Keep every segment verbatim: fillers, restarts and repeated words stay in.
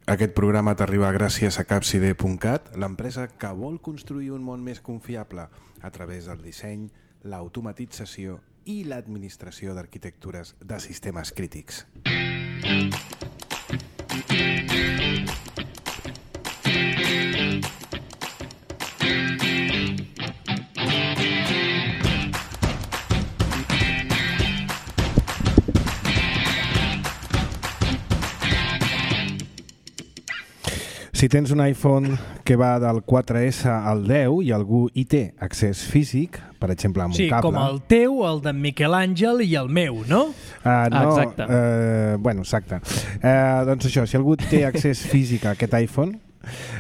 Aquest programa t'arriba gràcies a Capside punt cat, l'empresa que vol construir un món més confiable a través del disseny, l'automatització i l'administració d'arquitectures de sistemes crítics. Si tens un iPhone que va del quatre essa al deu i algú hi té accés físic, per exemple amb sí, un cable... Sí, com el teu, el d'en Miquel Àngel i el meu, no? Uh, no exacte. Uh, bueno, exacte. Uh, doncs això, si algú té accés físic a aquest iPhone,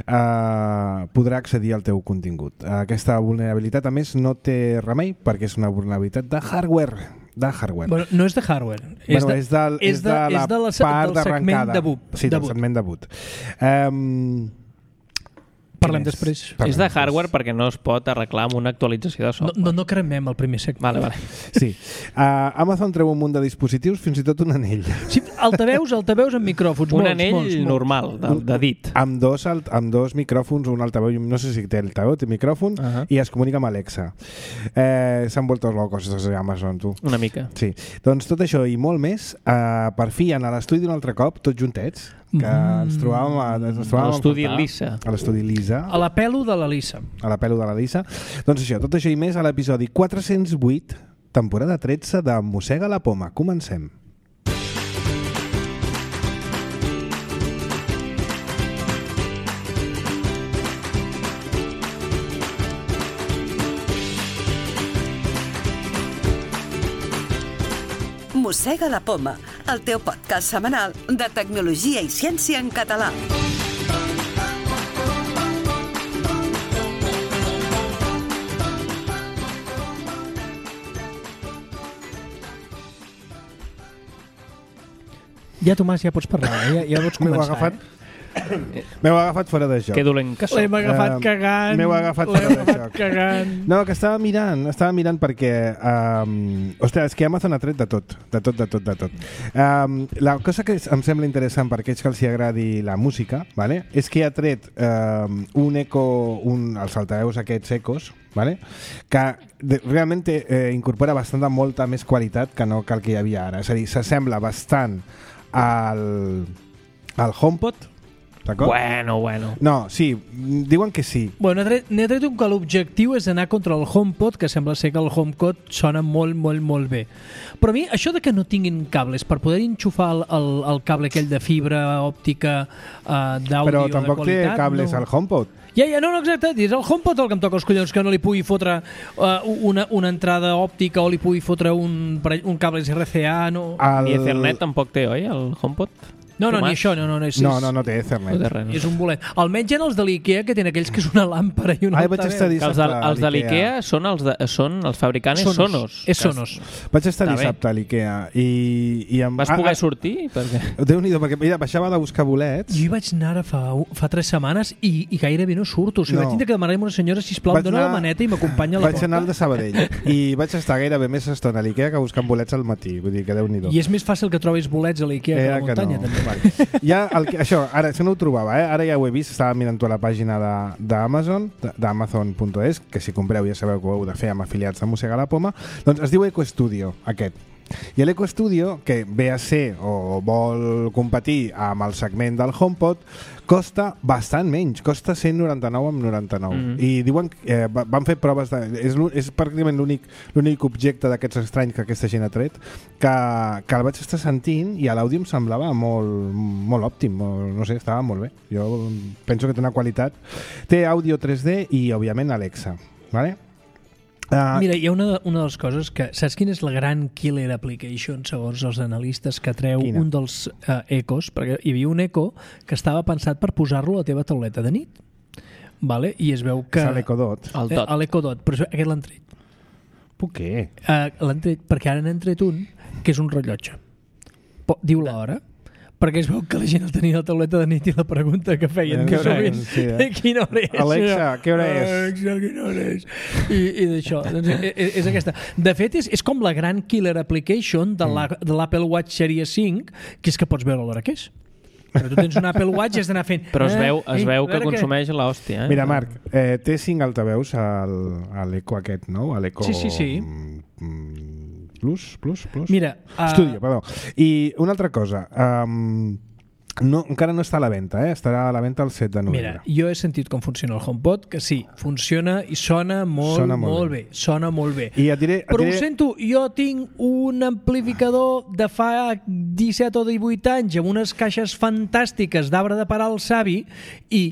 uh, podrà accedir al teu contingut. Uh, aquesta vulnerabilitat, a més, no té remei perquè és una vulnerabilitat de hardware. De hardware. Bueno, no és de hardware. Bueno, és, de, és, és de, de la és de la, part d'arrencada. De boot. Sí, del segment de boot. Um, Parlem després. Parlem és de hardware després. Perquè no es pot arreglar amb una actualització de software. No, no, no cremem el primer segment. Vale, vale. Sí. Uh, Amazon treu un munt de dispositius, fins i tot un anell. Sí, altaveus, altaveus amb micròfons. Un molts, anell molts, molts. normal, de, de dit. Amb dos, amb dos micròfons, un altaveu, no sé si té altaveu, té micròfon, uh -huh. i es comunica amb Alexa. Eh, S'han vuelto locos els Amazon, tu. Una mica. Sí. Doncs tot això i molt més, uh, per fi, en l'estudi un altre cop, tots juntets, que mm. ens trobàvem a, ens trobàvem a l'estudi Lisa. A l'estudi Lisa. A la pelo de la Lisa. A la pelo de la Lisa. Doncs això, tot això i més a l'episodi quatre-cents vuit, temporada tretze de Mossega la Poma. Comencem. Mossega la Poma, el teu podcast setmanal de tecnologia i ciència en català. Ja, Tomàs, ja pots parlar, eh? ja, ja pots començar. M'heu agafat, eh? M'heu agafat fora de joc. Que dolent que L'hem agafat uh, cagant. M'heu agafat fora de joc. Cagant. No, que estava mirant, estava mirant perquè... Um, ostres, és que Amazon ha tret de tot, de tot, de tot, de tot. Um, la cosa que em sembla interessant per aquells que els agradi la música, vale? És que ha tret um, un eco, un, els altaveus aquests ecos, vale? Que de, realment eh, incorpora bastant de molta més qualitat que no que el que hi havia ara. És a dir, s'assembla bastant al, al HomePod, d'acord? Bueno, bueno. No, sí, diuen que sí. Bueno, n'he tret, tret un que l'objectiu és anar contra el HomePod, que sembla ser que el HomePod sona molt, molt, molt bé. Però a mi, això de que no tinguin cables per poder enxufar el, el, el cable aquell de fibra òptica uh, d'àudio de qualitat... Però tampoc té cables no. al HomePod. Ja, ja, no, no, exacte, és el HomePod el que em toca els collons, que no li pugui fotre uh, una, una entrada òptica o li pugui fotre un, un cable R C A, no... El... Ni Ethernet tampoc té, oi, el HomePod? No, no, ni això, no, no, no, és, no, no, no té Ethernet. No té res, no. És un bolet. Almenys en els de l'IKEA, que tenen aquells que és una làmpara i una Ai, vaig estar els de, els de l'IKEA són els, de, són els fabricants Sonos. Sonos. És Sonos. Vaig estar Està dissabte bé. a l'IKEA i, i em... Vas poder ah, sortir? Perquè... Déu-n'hi-do, perquè mira, baixava de buscar bolets. Jo hi vaig anar ara fa, fa tres setmanes i, i gairebé no surto. O sigui, no. Vaig tindre que demanar a una senyora, sisplau, em dona anar... la maneta i m'acompanya a la vaig porta. Vaig anar al de Sabadell i vaig estar gairebé més estona a l'IKEA que buscant bolets al matí. Vull dir que Déu-n'hi-do. I és més fàcil que trobis bolets a l'IKEA que a la muntanya. Que no. També. Vale. Ja el que, això, ara, això no ho trobava, eh? Ara ja ho he vist, estava mirant a la pàgina d'Amazon, d'Amazon punt es, que si compreu ja sabeu que ho heu de fer amb afiliats de Mossega la Poma, doncs es diu Eco Studio, aquest. I l'Eco Studio, que ve a ser o vol competir amb el segment del HomePod, costa bastant menys, costa cent noranta-nou amb noranta-nou. Mm. I diuen que eh, van fer proves de... És, és pràcticament l'únic l'únic objecte d'aquests estranys que aquesta gent ha tret que, que el vaig estar sentint i a l'àudio em semblava molt, molt òptim, molt, no sé, estava molt bé. Jo penso que té una qualitat. Té àudio tres D i, òbviament, Alexa. Vale? Uh, Mira, hi ha una, una de les coses que... Saps quina és la gran killer application, segons els analistes, que treu quina? Un dels uh, ecos? Perquè hi havia un eco que estava pensat per posar-lo a la teva tauleta de nit. Vale? I es veu que... És l'Eco Dot. El Dot. Eh, l'Eco Dot, però aquest l'han tret. Per què? Uh, l'han tret perquè ara n'han tret un que és un rellotge. Po, diu l'hora. Perquè es veu que la gent el tenia a la tauleta de nit i la pregunta que feien que sovint, sí, eh? Quina hora és? Alexa, què hora és? Alexa, quina hora és? I, i d'això, doncs és, és aquesta. De fet, és, és com la gran killer application de l'Apple Watch Series cinc, que és que pots veure l'hora que és. Però tu tens un Apple Watch i has d'anar fent... Però es veu, es eh, veu eh, que consumeix que... l'hòstia. Eh? Mira, Marc, eh, té cinc altaveus al, a l'Eco aquest, no? A l'Eco... Sí, sí, sí. Mm, plus, plus, plus? Mira... Uh... Studio, perdó. I una altra cosa... Um, no, encara no està a la venda, eh? Estarà a la venda el set de novembre. Mira, jo he sentit com funciona el HomePod, que sí, funciona i sona molt, sona molt, molt bé. bé. Sona molt bé. I et diré, et Però diré... ho sento, jo tinc un amplificador de fa disset o divuit anys amb unes caixes fantàstiques d'arbre de parar el savi i...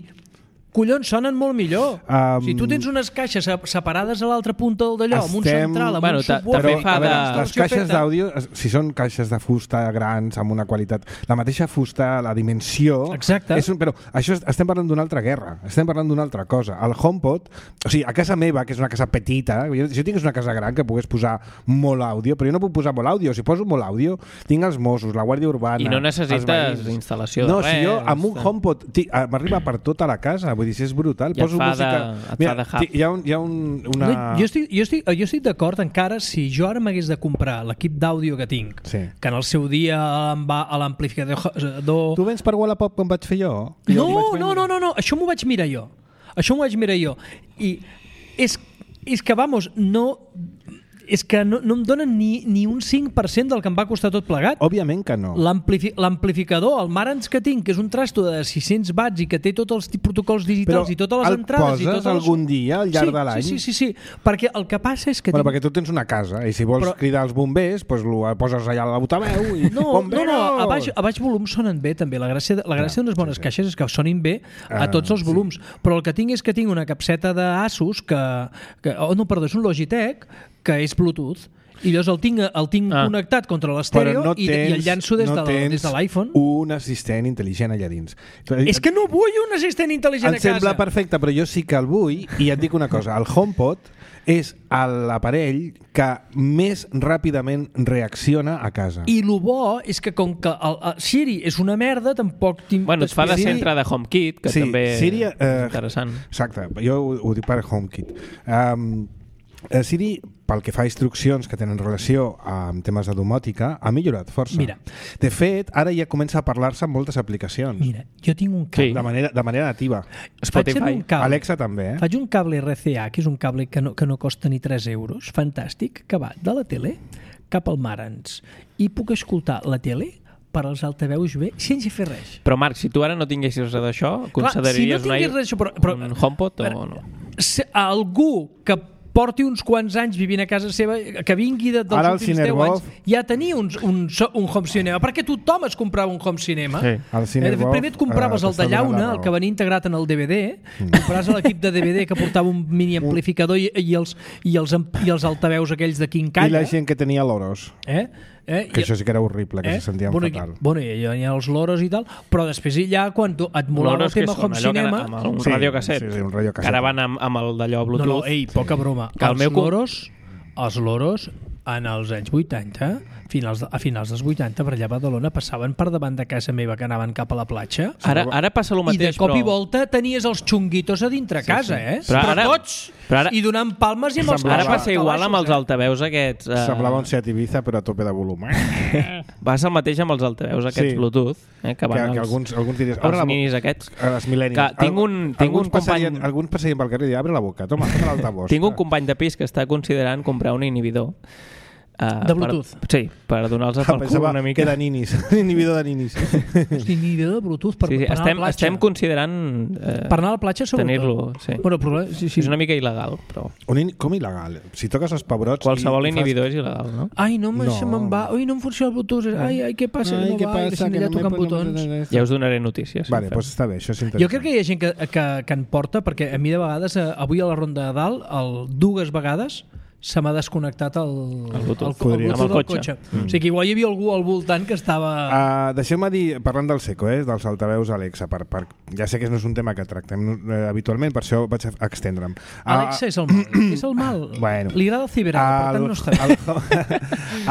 collons, sonen molt millor. Um, si tu tens unes caixes separades a l'altra punta del d'allò, amb un central, amb bueno, un subwoofer... També fa de... Les caixes d'àudio, si són caixes de fusta grans, amb una qualitat... La mateixa fusta, la dimensió... Exacte. És un, però això és, estem parlant d'una altra guerra, estem parlant d'una altra cosa. El HomePod, o sigui, a casa meva, que és una casa petita, jo, si jo tingués una casa gran que pogués posar molt àudio, però jo no puc posar molt àudio. Si poso molt àudio, tinc els Mossos, la Guàrdia Urbana... I no necessites instal·lació de no, res. No, si jo amb un HomePod m'arriba per tota la casa, vull dir, si és brutal. I poso et fa música... de, et Mira, fa de hub. Hi ha, un, hi ha un, una... No, jo estic, jo estic, jo estic d'acord encara si jo ara m'hagués de comprar l'equip d'àudio que tinc, Sí. que en el seu dia em va a l'amplificador... Tu vens per Wallapop com vaig fer jo? jo No, vaig no, no, no, no, això m'ho vaig mirar jo. Això m'ho vaig mirar jo. I és, és que, vamos, no... És que no, no em donen ni, ni un cinc per cent del que em va costar tot plegat. Òbviament que no. L'amplifi l'amplificador, el Marantz que tinc, que és un trasto de sis-cents watts i que té tots els protocols digitals Però i totes les el entrades... poses i totes les... algun dia al llarg sí, de l'any? Sí, sí, sí, sí, perquè el que passa és que... Bueno, tinc... perquè tu tens una casa i si vols Però... cridar els bombers, doncs lo poses allà a l'altaveu i... No, no, no, a baix, a baix volum sonen bé també. La gràcia, la gràcia d'unes bones sí, sí. caixes és que sonin bé a Ah, tots els sí. volums. Però el que tinc és que tinc una capseta d'Asus que, que... Oh, no, perdó, és un Logitech que és Bluetooth. I llavors el tinc, el tinc ah. connectat contra l'estèreo no i, i el llanço des, no de, des de l'iPhone. Un assistent intel·ligent allà dins. És que no vull un assistent intel·ligent em a casa. sembla perfecte, però jo sí que el vull i et dic una cosa, el HomePod és l'aparell que més ràpidament reacciona a casa. I el bo és que com que el, el Siri és una merda, tampoc tinc... Bueno, et fa de Siri... centre de HomeKit, que sí, també Siri, eh, és interessant. Exacte, jo ho, ho dic per HomeKit. Um, Siri, pel que fa a instruccions que tenen relació amb temes de domòtica, ha millorat força. Mira. De fet, ara ja comença a parlar-se en moltes aplicacions. Mira, jo tinc un cable. Sí. De manera, de manera nativa. Spotify. Faig un cable. Alexa també, eh? Faig un cable R C A, que és un cable que no, que no costa ni tres euros, fantàstic, que va de la tele cap al Marantz. I puc escoltar la tele per als altaveus bé sense fer res. Però Marc, si tu ara no tinguessis res d'això, consideraries si no tingués un, res, però, però, un HomePod o no? Se, algú que porti uns quants anys vivint a casa seva, que vingui de, dels Ara el últims deu Cinerbov... anys, ja tenia un, un, un home cinema, perquè tothom es comprava un home cinema. Sí, el Cinerbov, Primer et compraves eh, el de llauna, el que venia integrat en el D V D, mm. compraves l'equip de D V D que portava un mini amplificador i, i, els, i, els, i els altaveus aquells de Quincalla. I la gent que tenia loros. Eh? Eh? Que I, això sí que era horrible, que eh? se sentien bueno, fatal. Bueno, i hi ha els loros i tal, però després ja quan tu et molava el tema home cinema... Amb un Sí, radiocasset. sí, sí, un radiocasset. Que ara van amb, amb el d'allò No, Bluetooth. no, ei, poca broma. Que el els meu com- loros, els loros, en els anys vuitanta, finals de, a finals dels vuitanta, per allà a Badalona, passaven per davant de casa meva que anaven cap a la platja. Ara, ara passa el I mateix, de cop però... i volta tenies els xunguitos a dintre sí, casa, eh? Però Però, ara- tots! però ara- I donant palmes i amb els Semblava- Ara passa igual amb els eh? altaveus aquests... Uh, Semblava un Seat Ibiza, però a tope de volum. Eh? Passa el mateix amb els altaveus aquests Sí. Bluetooth, eh, que Que, van que als, alguns, alguns diries... els minis aquests. A les mil·lennis. Que tinc un- tinc alguns un company- passarien, alguns passarien pel carrer i abre la boca. Toma, toma l'altavós. Tinc un company de pis que està considerant comprar un inhibidor. Uh, De Bluetooth? Per, sí, per donar-los pel cul una mica. Que de ninis. Inhibidor de ninis. Hosti, ni idea de Bluetooth per, Sí, sí, per anar estem, a la platja. estem considerant eh, Per anar a la platja, sobretot. tenir-lo. Sí. Bueno, però, sí, sí. És una mica il·legal, però Un in... Com il·legal? Si toques els pebrots... qualsevol i, i inhibidor és il·legal, no? Ai, no, me, No. se me'n va. Ai, no em funciona el Bluetooth. Ai, ai, què passa? Ai, no què va. I passa? deixem Que allà no tocant me- botons. Ja us donaré notícies. Vale, si doncs està bé, això és Jo interessant. crec que hi ha gent que, que, que en porta, perquè a mi de vegades, eh, avui a la ronda de dalt, el, dues vegades se m'ha desconnectat el, El Bluetooth. el, Podria. el, Amb el del cotxe. Mm. O sigui que igual hi havia algú al voltant que estava... Uh, Deixeu-me dir, parlant del Seco, eh, dels altaveus Alexa, per, per, ja sé que no és un tema que tractem eh, habitualment, per això vaig a extendre'm. Uh, Alexa és el mal. és el mal. Bueno. Li agrada el ciberada, per tant no està bé.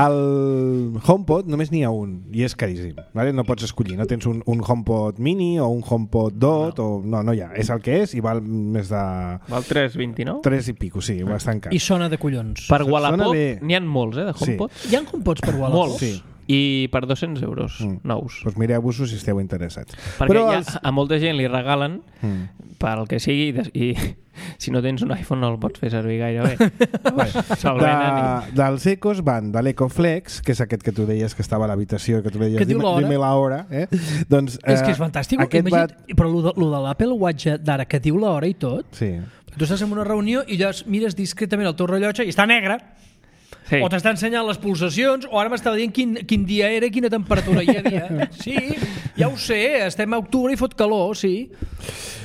el, el HomePod només n'hi ha un i és caríssim, vale? No pots escollir, no tens un, un HomePod mini o un HomePod Dot no. o no, no hi ha, és el que és i val més de Val tres coma vint-i-nou? tres i pico, sí, bastant car. I sona de collons. Per Wallapop bé. n'hi ha molts, eh, de HomePod. Hi ha HomePods per Wallapop? Molts. Sí. i per dos-cents euros mm. nous. Doncs mireu-vos-ho si esteu interessats. Perquè Però ja, els... a molta gent li regalen mm. pel que sigui i si no tens un iPhone no el pots fer servir gaire bé. Se'l venen i... Dels Ecos van de l'Ecoflex, que és aquest que tu deies que estava a l'habitació, que tu deies, que diu l'hora. Dime la hora. Eh? Doncs, és que és fantàstic. Imagina't, va... Però lo de, lo de l'Apple Watch d'ara, que diu l'hora i tot, sí. Tu estàs en una reunió i llavors mires discretament el teu rellotge i està negre. Sí. O t'està ensenyant les pulsacions, o ara m'estava dient quin, quin dia era i quina temperatura hi havia. Sí, ja ho sé, estem a octubre i fot calor, sí.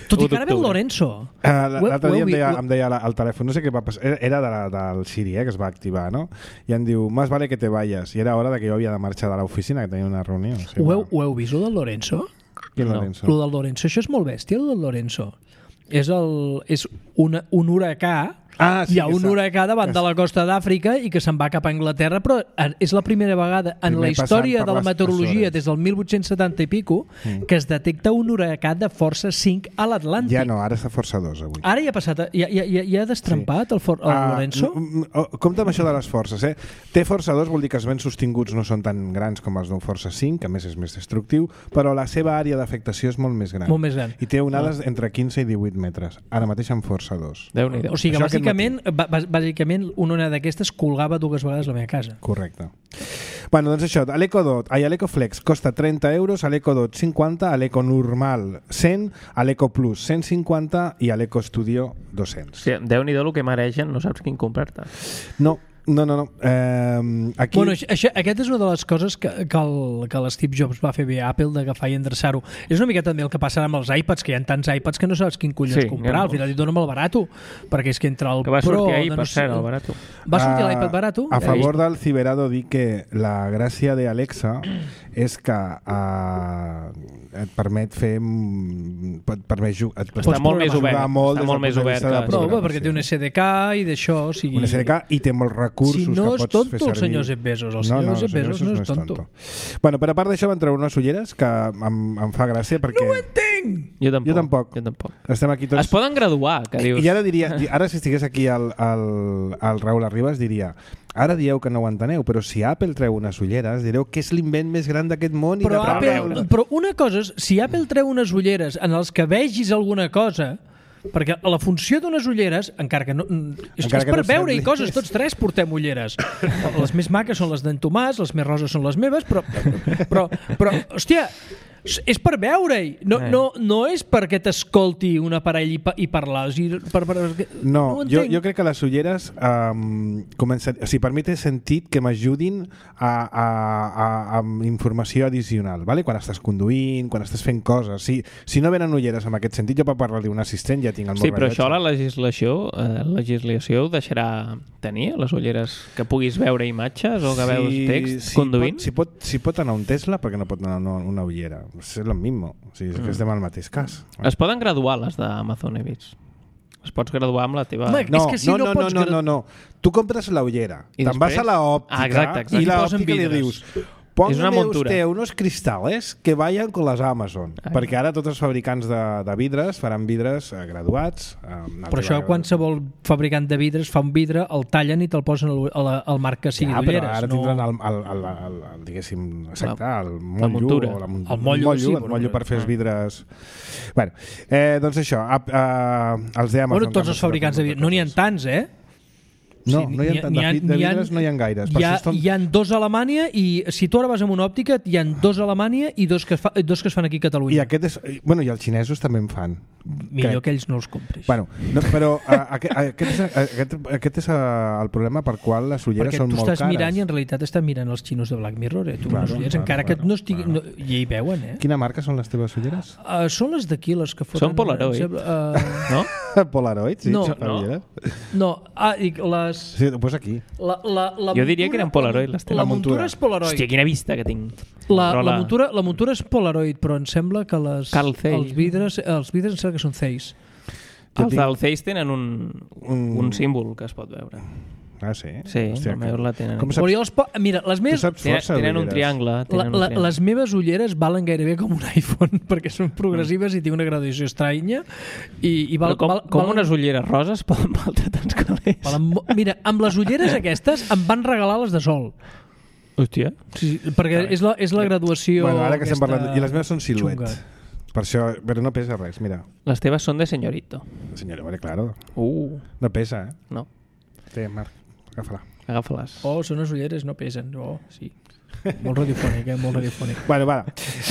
Tot i que ara ve el Lorenzo. Uh, L'altre dia em deia, em deia al telèfon, no sé què va passar, era de la, del Siri, eh, que es va activar, no? I em diu, más vale que te vayas. I era hora de que jo havia de marxar de l'oficina, que tenia una reunió. Sí, ho, heu, ho heu vist, el del Lorenzo? Quin no. Lorenzo? El del Lorenzo, això és molt bèstia, el del Lorenzo. És, el, és una, un huracà. Ah, sí, hi ha un huracà davant de la costa d'Àfrica i que se'n va cap a Anglaterra, però és la primera vegada en Primer la història de la meteorologia des del mil vuit-cents setanta i pico mm. que es detecta un huracà de força cinc a l'Atlàntic. Ja no, ara està força dos avui. Ara ja ha passat, ja, ja, ja, ja ha destrampat sí. el, for, el uh, Lorenzo? Compte amb això de les forces, eh? Té força dos, vol dir que els vents sostinguts no són tan grans com els d'un força cinc, que a més és més destructiu, però la seva àrea d'afectació és molt més gran. Molt més gran. I té onades ah. entre quinze i divuit metres. Ara mateix amb força dos. Déu-n'hi-do. O sigui, això bàsicament, bàsicament una onada d'aquestes colgava dues vegades la meva casa. Correcte. Bueno, doncs això, a l'EcoDot, ai, a l'EcoFlex costa trenta euros, a l'EcoDot cinquanta, a l'Eco normal cent, a l'EcoPlus cent cinquanta i a l'EcoStudio dos-cents. Sí, Déu-n'hi-do el que maregen, no saps quin comprar-te. No, no, no. no. Eh, aquí... Bueno, això, aquest és una de les coses que, que, el, que l'Steve Jobs va fer bé a Apple, d'agafar i endreçar-ho. És una mica també el que passarà amb els iPads, que hi ha tants iPads que no saps quin collons sí, comprar. Al final et dona'm el barato, perquè és que entre el que va Pro... sortir ahir, no per sé, cert, el barato. Va sortir uh, l'iPad barato? A favor del Ciberado dic que la gràcia d'Alexa és que uh, et permet fer... Et permet jugar... Està molt més obert. Molt està molt més obert. Que... Però, home, perquè té un S D K i d'això... O sigui... Un S D K i té molts recursos si no que pots tonto, fer servir. El senyor Jeff Bezos. El senyor no, no, Jeff Bezos no és tonto. tonto. Bueno, però a part d'això van treure unes ulleres que em, em fa gràcia perquè... No ho entenc! Jo tampoc. Jo tampoc. Jo tampoc. Estem aquí tots... Es poden graduar, que dius. I ara diria, ara si estigués aquí el, el, el Raül Arribas diria... Ara dieu que no ho enteneu, però si Apple treu unes ulleres, direu que és l'invent més gran d'aquest món. Però, i de Apple, però una cosa és, si Apple treu unes ulleres en els que vegis alguna cosa, perquè la funció d'unes ulleres, encara que no... És, encara és per no veure i coses, tots tres portem ulleres. Les més maques són les d'en Tomàs, les més roses són les meves, però, però, però hòstia... És per veure-hi, no, eh. no, no és perquè t'escolti un aparell i, pa, i parlar. O sigui, per, per, no, no jo, jo crec que les ulleres um, comencen, o sigui, per mi té sentit que m'ajudin a, a, a, a informació addicional, vale? Quan estàs conduint, quan estàs fent coses. Si, si no venen ulleres en aquest sentit, jo per parlar d'un assistent ja tinc el meu sí, però rellotge. Això la legislació, eh, la legislació ho deixarà tenir, les ulleres que puguis veure imatges o que sí, veus text sí, conduint? Pot, si, pot, si pot anar un Tesla, perquè no pot anar una, una ullera? És el mismo, o sigui, és que estem al mateix cas. Es poden graduar les d'Amazon, he vist. Es pots graduar amb la teva... Home, no, és que si no, no, no, pots no, no, no, no. Tu compres la ullera, te'n vas a la òptica ah, exacte, exacte. i la òptica li dius... Póngame usted unos cristales que vayan con las Amazon. Ai. Perquè ara tots els fabricants de, de vidres faran vidres eh, graduats. Eh, Però això qualsevol fabricant de vidres fa un vidre, el tallen i te'l posen al, al, al marc que sigui ja, d'ulleres. Ara no... tindran el, el, el, el, el, diguéssim, exacte, el motllo, la o la, el motllo, el motllo, sí, el motllo per fer els vidres... Bueno, eh, doncs això, a, a, els d'Amazon... Bueno, tots els fabricants de vidres, no n'hi ha tants, eh? No, sí, no hi ha, ha, de, de vidres no hi ha gaires. Hi ha, estan... hi ha dos a Alemanya i si tu ara vas amb una òptica hi ha dos a Alemanya i dos que, fa, dos que es fan aquí a Catalunya. I, aquest és, bueno, i els xinesos també en fan. Millor crec. Que ells no els compris. Bueno, no, però a, a, a, aquest, és, a, aquest, aquest és a, el problema per qual les ulleres perquè són molt cares. Perquè tu estàs mirant i en realitat estàs mirant els xinos de Black Mirror, eh? Tu claro, ulleres, claro, encara claro, que no estigui... Claro. No, i hi veuen, eh? Quina marca són les teves ulleres? Uh, són les d'aquí, les que foten... Són Polaroid, uh... no? Polaroid, sí. No, no. no. Ah, dic, les... Sí, ho posa aquí. La, la, la jo diria muntura, que eren Polaroid les teves. La muntura és Polaroid. Hòstia, quina vista que tinc. La, la, muntura, la muntura és Polaroid, però em sembla que les, els vidres, els vidres em sembla que són Zeiss. Els tinc... del Zeiss tenen un, un... un símbol que es pot veure. Ah, sí? Sí, Hòstia, que... la tenen. Com saps... els po... Mira, les meves... Tenen, tenen un triangle. Tenen la, la, un triangle. Les meves ulleres valen gairebé com un iPhone, perquè són progressives mm. i té una graduació estranya. I, i val, com, val, com val... unes ulleres roses poden valdre tants calés? Valen... Mira, amb les ulleres aquestes em van regalar les de sol. Hòstia. Sí, perquè és la, és la graduació... Bueno, ara que estem aquesta parlant... I les meves són Silhouette. xunga. Per això... Però no pesa res, mira. Les teves són de senyorito. Senyora, vale, claro. Uh, No pesa, eh? no. Té, Marc, agafa-la. Agafa-les. Oh, són unes ulleres, no pesen. Oh, sí. Molt radiofònic, eh? Molt radiofònic. Bueno, va.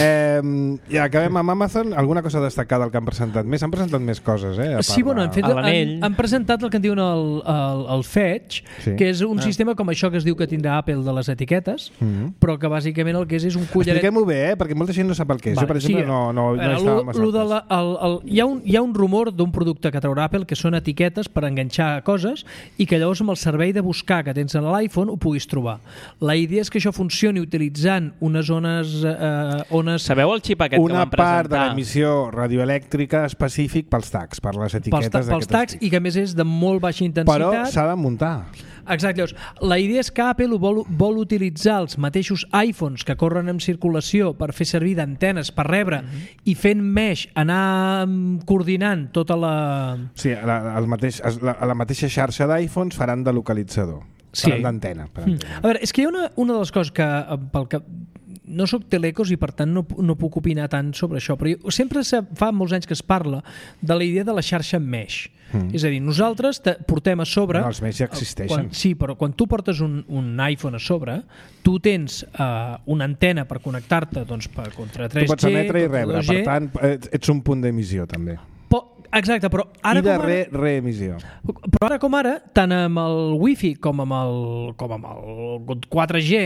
Eh, ja acabem amb Amazon. Alguna cosa destacada el que han presentat més? Han presentat més coses, eh? Sí, bueno, han, fet, han, l'anell. han presentat el que en diuen el, el, el Fetch, Sí. que és un Ah. sistema com això que es diu que tindrà Apple de les etiquetes, Mm-hmm. però que bàsicament el que és és un collaret... Expliquem-ho bé, eh? Perquè molta gent no sap el que és. Vale, Jo, per exemple, sí. no, no, no Veure, estava lo- massa... lo de la, el, el, hi, ha un, hi ha un rumor d'un producte que traurà Apple que són etiquetes per enganxar coses i que llavors amb el servei de buscar que tens a l'iPhone ho puguis trobar. La idea és que això funcioni utilitzant unes ones... Eh, ones Sabeu el xip aquest que Una van part de presentar? l'emissió radioelèctrica específic pels tags, per les pels, etiquetes ta, pels d'aquest tags estil. i que a més és de molt baixa Però intensitat. s'ha de muntar. Exacte, llavors, la idea és que Apple vol, vol utilitzar els mateixos iPhones que corren en circulació per fer servir d'antenes per rebre Mhm. i fent mesh anar mm, coordinant tota la... Sí, la, el mateix, la, la mateixa xarxa d'iPhones faran de localitzador. Sí. Faran d'antena, per Mm. entendre. A veure, és que hi ha una, una de les coses que, eh, pel que no sóc telecos i per tant no, no puc opinar tant sobre això, però jo, sempre se, fa molts anys que es parla de la idea de la xarxa mesh. Mm. És a dir, nosaltres te, portem a sobre... No, els mesh ja existeixen. Quan, sí, però quan tu portes un, un iPhone a sobre, tu tens uh, una antena per connectar-te doncs, per, contra tres G, Tu pots emetre i contra rebre, dos G. per tant, ets ets un punt d'emissió, també. Po, exacte, però ara I de com ara... re, reemissió. Però ara com ara, tant amb el Wi-Fi com amb el, com amb el quatre G,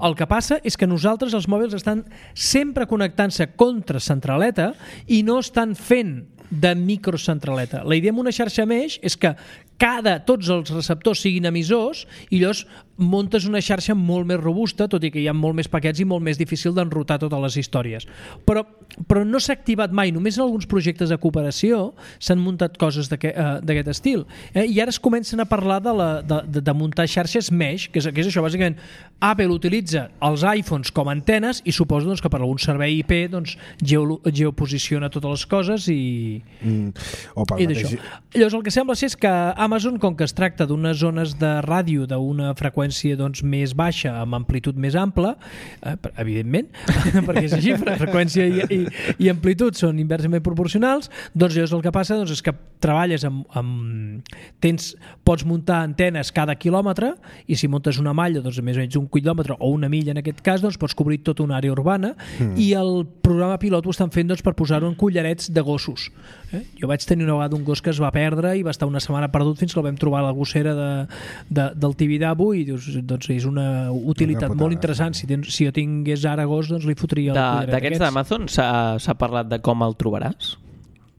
el que passa és que nosaltres, els mòbils, estan sempre connectant-se contra centraleta i no estan fent de microcentraleta. La idea amb una xarxa mesh és que cada, tots els receptors siguin emissors i llavors montes una xarxa molt més robusta, tot i que hi ha molt més paquets i molt més difícil d'enrotar totes les històries. Però, però no s'ha activat mai. Només en alguns projectes de cooperació s'han muntat coses d'aquest uh, estil. Eh? I ara es comencen a parlar de, la, de, de, de muntar xarxes mesh, que és, que és això, bàsicament. Apple utilitza els iPhones com a antenes i suposo doncs, que per algun servei I P doncs, geo, geoposiciona totes les coses i... Mm. O pel I mateix... d'això. Llavors el que sembla ser és que Amazon, com que es tracta d'unes zones de ràdio d'una freqüència doncs, més baixa amb amplitud més ampla, eh, evidentment, perquè és així, freqüència i, i, i amplitud són inversament proporcionals, doncs llavors el que passa doncs, és que treballes amb, amb tens, pots muntar antenes cada quilòmetre i si muntes una malla doncs, més o menys un quilòmetre o una milla en aquest cas, doncs, pots cobrir tota una àrea urbana mm. i el programa pilot ho estan fent doncs, per posar-ho en collarets de gossos. Eh? Jo vaig tenir una vegada un gos que es va perdre i va estar una setmana perdut fins que el vam trobar a la gossera de, de, del Tibidabo i dius, doncs és una utilitat Una molt interessant. Si, tens, si jo tingués ara gos, doncs li fotria el collaret D'aquests d'Amazon s'ha parlat de com el trobaràs?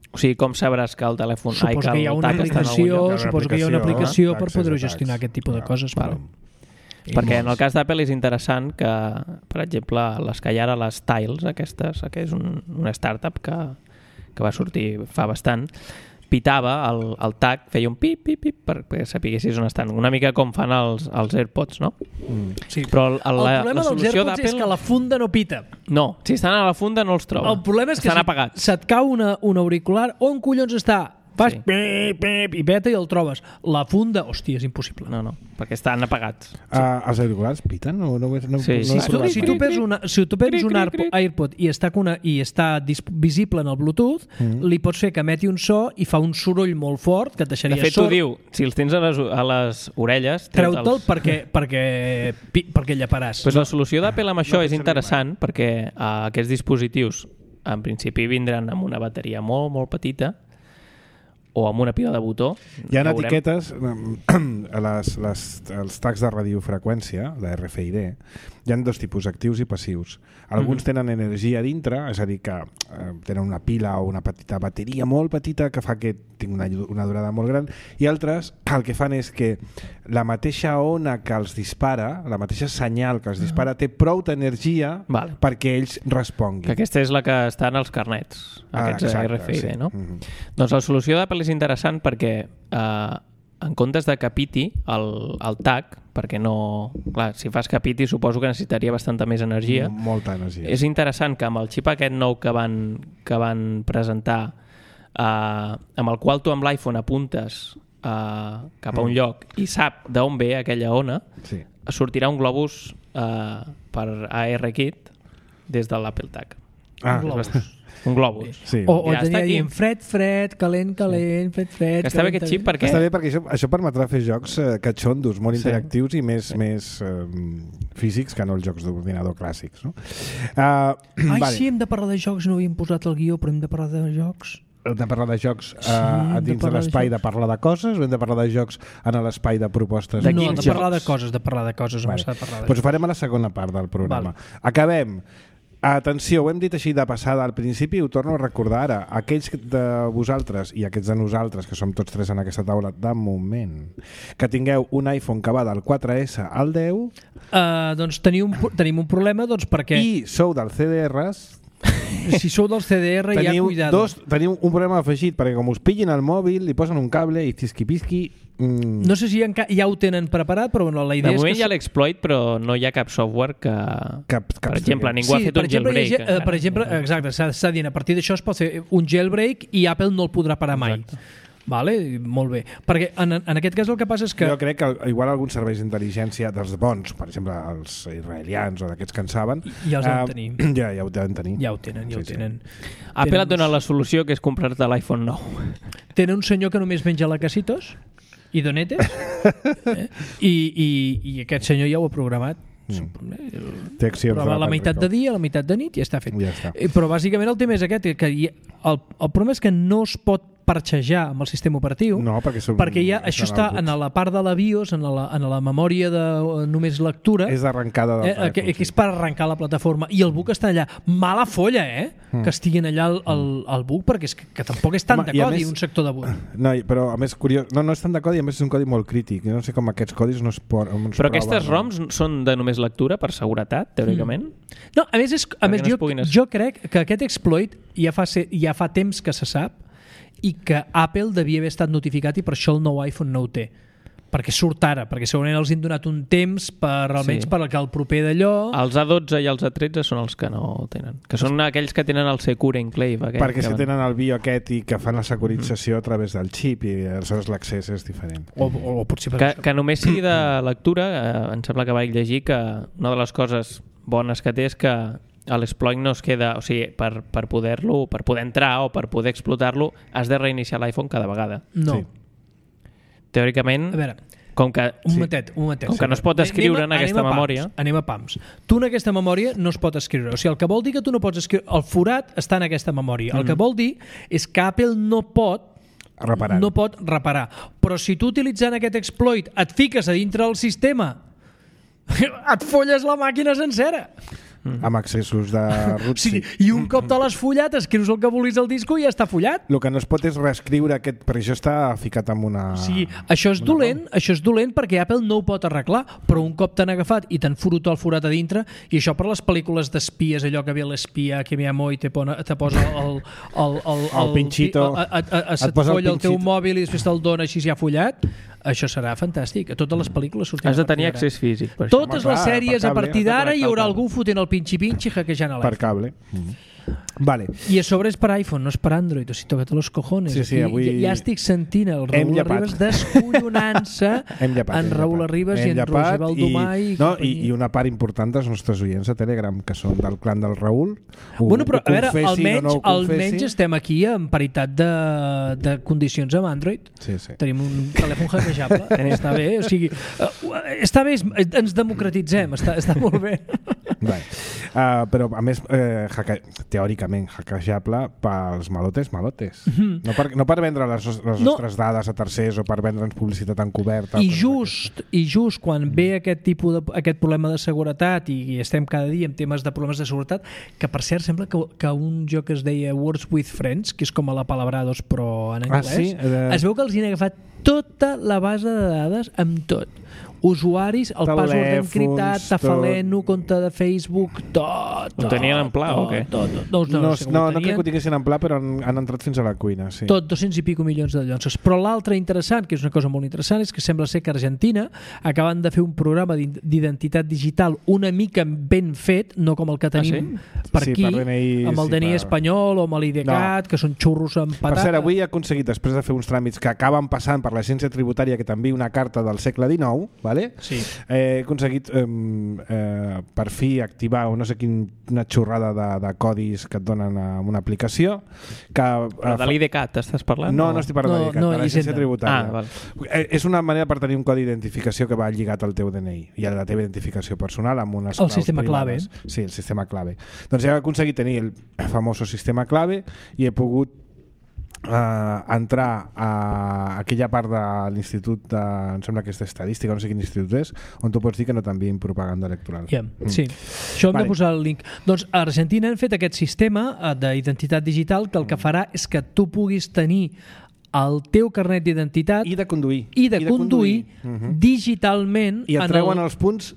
O sigui, com sabràs que el telèfon... Suposo ai, que hi ha una el TAC està en algun aplicació, lloc? suposo que hi ha una aplicació per d'accés poder a gestionar tags. aquest tipus de coses. Però... Perquè en el cas d'Apple és interessant que, per exemple, les que hi ha ara, les Tiles, aquestes, que és un, una startup que, que va sortir fa bastant, pitava el, el tag, feia un pip, pip, pip, perquè sapiguessis on estan. Una mica com fan els, els AirPods, no? Mm. Sí. Però el, el, el la, problema la dels solució AirPods és d'Apple... que la funda no pita. No, si estan a la funda no els troba. El problema és que estan si apagats. se't cau una, un auricular, on collons està? Fas Sí. pip, pip, i veta i el trobes. La funda, hòstia, és impossible. No, no, perquè estan apagats. Uh, els auriculars piten? No, no, no, Sí, no sí. he Si tu, provat si mai. tu perds, una, si tu perds Cric, un cric, AirPod, cric. AirPod i està, una, i està dis, visible en el Bluetooth, mm. li pots fer que emeti un so i fa un soroll molt fort que et deixaria De fet, t'ho sord. diu, si els tens a les, a les orelles... Treu-te'l els... perquè, perquè, pi- perquè llaparàs. Pues la solució d'Apple amb això no és pot interessant perquè uh, aquests dispositius en principi vindran amb una bateria molt, molt petita o amb una pila de botó. Hi ha ja veurem. etiquetes a les, les, els tags de radiofreqüència, de R F I D, hi ha dos tipus, actius i passius. Alguns Mhm. tenen energia dintre, és a dir, que eh, tenen una pila o una petita bateria molt petita que fa que tingui una, una durada molt gran, i altres el que fan és que la mateixa ona que els dispara, la mateixa senyal que els dispara, té prou d'energia Vale. perquè ells responguin. Que aquesta és la que està en els carnets, aquests Ah, exacte, R F I D, sí. no? Mhm. Doncs la solució d'Apple és interessant perquè eh, en comptes de que piti el, el tag, perquè no... Clar, si fas que piti suposo que necessitaria bastanta més energia. Molta energia. És interessant que amb el xip aquest nou que van, que van presentar, eh, amb el qual tu amb l'iPhone apuntes eh, cap a un lloc i sap d'on ve aquella ona, Sí. sortirà un globus uh, per ARKit des de l'Apple Tag. Ah, un globus. Un globus. Sí. O, o Ja tenia està aquí. dient fred, fred, calent, calent, fred, fred... Que està bé calent, aquest xip calent. perquè... Està bé perquè això, això permetrà fer jocs eh, catxondos, molt Sí. interactius i més, Sí. més eh, físics que no els jocs d'ordinador clàssics. No? Uh, Ai, vale. sí, hem de parlar de jocs, no havíem posat el guió, però hem de parlar de jocs. Hem de parlar de jocs uh, Sí, hem de dins de parlar de l'espai jocs. de parlar de coses o hem de parlar de jocs en l'espai de propostes? De no, quins de parlar jocs? de coses, de parlar de coses, Vale. vale. de parlar de Doncs ho farem a la segona part del programa. Vale. Acabem. Atenció, ho hem dit així de passada al principi i ho torno a recordar ara. Aquells de vosaltres i aquests de nosaltres, que som tots tres en aquesta taula de moment, que tingueu un iPhone que va del quatre essa al deu Uh, doncs teniu un, tenim un problema doncs perquè i sou dels C D Rs, si sou del C D R ja teniu, cuidado. dos, teniu un problema afegit, perquè com us pillin el mòbil, li posen un cable i tisqui-pisqui... Mm, No sé si enca- ja ho tenen preparat, però bueno, la De idea és moment que... hi ha l'exploit, però no hi ha cap software que... cap, cap Per exemple, ningú ha sí, fet per un exemple, jailbreak. hi ha- eh, encara. per exemple, exacte, s'ha s'ha dit, a partir d'això es pot fer un jailbreak i Apple no el podrà parar mai. Exacte. Vale? Molt bé. Perquè en, en aquest cas el que passa és que... Jo crec que igual alguns serveis d'intel·ligència dels bons, per exemple els israelians o d'aquests que en saben, Ja els eh, han tenir. ja, ja ho deuen tenir. Ja ho tenen, ja Sí, ho sí. tenen. Apple Tenen et dona uns- la solució, que és comprar-te l'iPhone nou. Tenen un senyor que només menja lacasitos i donetes eh? I, i, i aquest senyor ja ho ha programat. Té accions Programa de la meitat de Patrick dia, la meitat de nit i ja està fet. Ja està. Eh, Però bàsicament el tema és aquest, que hi, el, el problema és que no es pot parxejar amb el sistema operatiu, No, perquè, són, perquè ja, això està els en la part de la BIOS, en la, en la memòria de eh, només lectura, És d'arrencada del eh, que, telèfon, que és per arrencar la plataforma, i el book està allà. Mala folla, eh? Mm. Que estiguin allà el, el, el book, perquè és que, que tampoc és tant Home, de i a codi, més- un sector de book. No, i- però a més curiós, no, no és tant de codi, a més és un codi molt crític. Jo no sé com aquests codis no es, por, no es Però prova, aquestes no? ROMs són de només lectura, per seguretat, teòricament? No, a més, és, a Perquè més no es jo, puguin es- jo crec que aquest exploit ja fa, ser, ja fa temps que se sap i que Apple devia haver estat notificat i per això el nou iPhone no ho té. Perquè surt ara, perquè segurament els han donat un temps per almenys Sí. per que el proper d'allò... Els A dotze i els A tretze són els que no tenen. Que són aquells que tenen el Secure Enclave. Aquell, Perquè que si van- tenen el bio aquest i que fan la securització a través del xip i aleshores l'accés és diferent. O, o, o potser per Que, això. que només sigui de lectura, eh, em sembla que vaig llegir que una de les coses bones que té és que l'exploit no es queda, o sigui, per, per poder-lo, per poder entrar o per poder explotar-lo, has de reiniciar l'iPhone cada vegada. No. Sí. Teòricament, A veure, com que... un Sí. momentet, un momentet. Com que no es pot escriure en aquesta anem a memòria. Pams, anem a pams. Tu en aquesta memòria no es pot escriure. O sigui, el que vol dir que tu no pots escriure... El forat està en aquesta memòria. El que vol dir és que Apple no pot Reparant. no pot reparar. Però si tu utilitzant aquest exploit et fiques a dintre del sistema et folles la màquina sencera. Amb accessos de root. Sí, Sí. i un cop te l'has follat, escrius el que vulguis al disco i ja està follat. El que no es pot és reescriure aquest, perquè això està ficat amb una... O sigui, això és una dolent, això és dolent perquè Apple no ho pot arreglar, però un cop t'han agafat i t'han furut el forat a dintre, i això per les pel·lícules d'espies, allò que ve l'espia que ve a Moi te, pone, te posa el, el, el, El pinxito. a, a, a, a, Et et posa el folla el teu pinxito. mòbil i després te'l dona així ja follat, això serà fantàstic. A totes les pel·lícules sortiran Has de a partir tenir d'ara. accés físic. Per això. Totes Home, les clar, sèries per a cable, partir has de d'ara hi connectar haurà el algú fotent el pinxi-pinxi hackejant a Per l'iPhone. cable. Mm. Vale. I a sobre és per iPhone, no és per Android, o sigui, toca't los cojones. Sí, sí, Aquí avui ja, ja estic sentint el hem Raül llepat. Arribas descollonant-se Hem llepat, en hem Raül llepat. Arribas i Hem en llepat Roger Baldomà i, i, no, i, i una part important dels nostres oients a Telegram, que són del clan del Raül. Ho, Bueno, però ho a veure, confessi almenys, o no ho confessi. almenys estem aquí en paritat de, de condicions amb Android. Sí, sí. Tenim un telèfon hackejable, està bé, o sigui, uh, està bé, ens democratitzem, està, està molt bé. Vale. Uh, però a més eh, hacke... teòricament hackejable pels malotes malotes Mhm. no, per, no per vendre les, nos- les No. nostres dades a tercers o per vendre'ns publicitat encoberta I o coses just, I just quan ve aquest tipus de, aquest problema de seguretat i, i estem cada dia en temes de problemes de seguretat, que per cert sembla que, que un joc que es deia Words with Friends, que és com a la Palabrados però en Ah, anglès, sí? Eh, es veu que els hi han agafat tota la base de dades amb tot. Usuaris, el password Telèfons, encriptat, Tafaleno, tot. compte de Facebook, tot, tot. Ho tenien en pla, tot, o què? Tot, tot. No, no, no, no, sé com no, ho no crec tenien. que ho tinguessin en pla, però han, han entrat fins a la cuina, sí. Tot, dos-cents i pico milions de llonces. Però l'altre interessant, que és una cosa molt interessant, és que sembla ser que a Argentina acaben de fer un programa d'id- d'identitat digital una mica ben fet, no com el que tenim per Sí, aquí, per D N I, amb el sí, D N I per- espanyol o amb l'I D C A T, No. que són xurros amb Per patata. cert, avui he aconseguit, després de fer uns tràmits que acaben passant per l'agència tributària que t'enviï una carta del segle dinou, vale? Sí. Eh, he aconseguit eh, eh, per fi activar no sé quina xorrada de, de codis que et donen a una aplicació que, Però de l'I D C A T estàs parlant? No, no estic parlant no, de l'I D C A T, no, de l'agència tributària. Ah, val. eh, és una manera per tenir un codi d'identificació que va lligat al teu D N I i a la teva identificació personal amb unes el claus sistema privades. clave. Sí, el sistema clave. Doncs he aconseguit tenir el famoso sistema clave i he pogut Uh, entrar a aquella part de l'institut de, em sembla que és d'estadística, no sé quin institut és, on tu pots dir que no t'envien propaganda electoral. Yeah, mm. Sí, això hem vale. de posar el link. Doncs a Argentina han fet aquest sistema d'identitat digital que el que farà és que tu puguis tenir el teu carnet d'identitat i de conduir, i de, I de conduir, conduir uh -huh. digitalment i et treuen el... els punts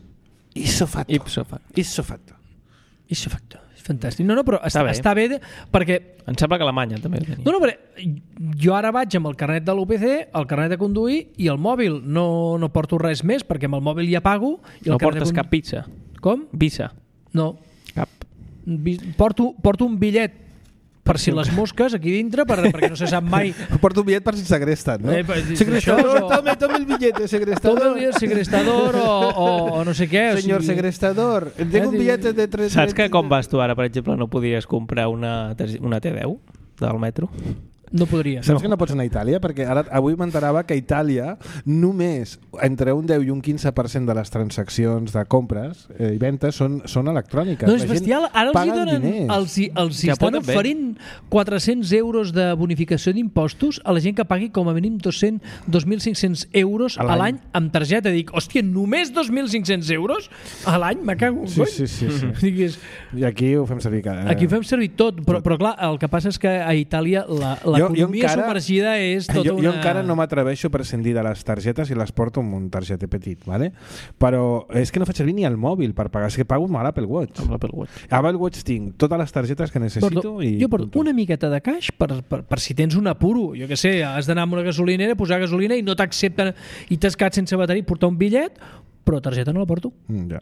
ipso facto. Ipso facto. Ipso facto. Ipso facto. Fantàstic. No, no, però està, està bé, està bé de, perquè... Em sembla que Alemanya també el tenia. No, no, però jo ara vaig amb el carnet de l'U P C, el carnet de conduir i el mòbil. No, no porto res més perquè amb el mòbil ja pago. I el no portes de... cap pizza? Com? Visa? No. Cap? Porto, porto un bitllet per si les mosques aquí dintre, per, perquè no se sap mai. Porto un bitllet per si segresten, no? Eh, per, segrestador, o... tome, tome el billete, segrestador. Tome el billete, segrestador o, o, o no sé què. Senyor o sigui... segrestador, tengo un billete de tres... Saps que com vas tu ara, per exemple, no podies comprar una, una T deu del metro? No podria. Saps no. que no pots anar a Itàlia? Perquè ara avui m'enterava que a Itàlia només entre un deu i un quinze per cent de les transaccions de compres eh, i ventes són, són electròniques. No, és bestial. Ara els hi donen, diners. els, hi, els hi Ja estan poden bé. oferint quatre-cents euros de bonificació d'impostos a la gent que pagui com a mínim dos-cents, dos mil cinc-cents euros a l'any amb targeta. Dic, hòstia, només dos mil cinc-cents euros a l'any? Me cago en sí, sí, sí, sí. Digues, I aquí ho fem servir. Eh? aquí ho fem servir tot, però, però clar, el que passa és que a Itàlia la, l'economia encara, submergida és tota jo, una... Jo encara no m'atreveixo a prescindir de les targetes i les porto amb un targeter petit, ¿vale? Però és que no faig servir ni el mòbil per pagar, és que pago amb l'Apple Watch. Amb l'Apple Watch. A Apple Watch tinc totes les targetes que necessito. Porto, i jo porto una miqueta de caix per, per, per si tens un apuro, jo que sé, has d'anar a una gasolinera, posar gasolina i no t'accepten i t'has quedat sense bateria, portar un bitllet, però targeta no la porto. Mm, ja.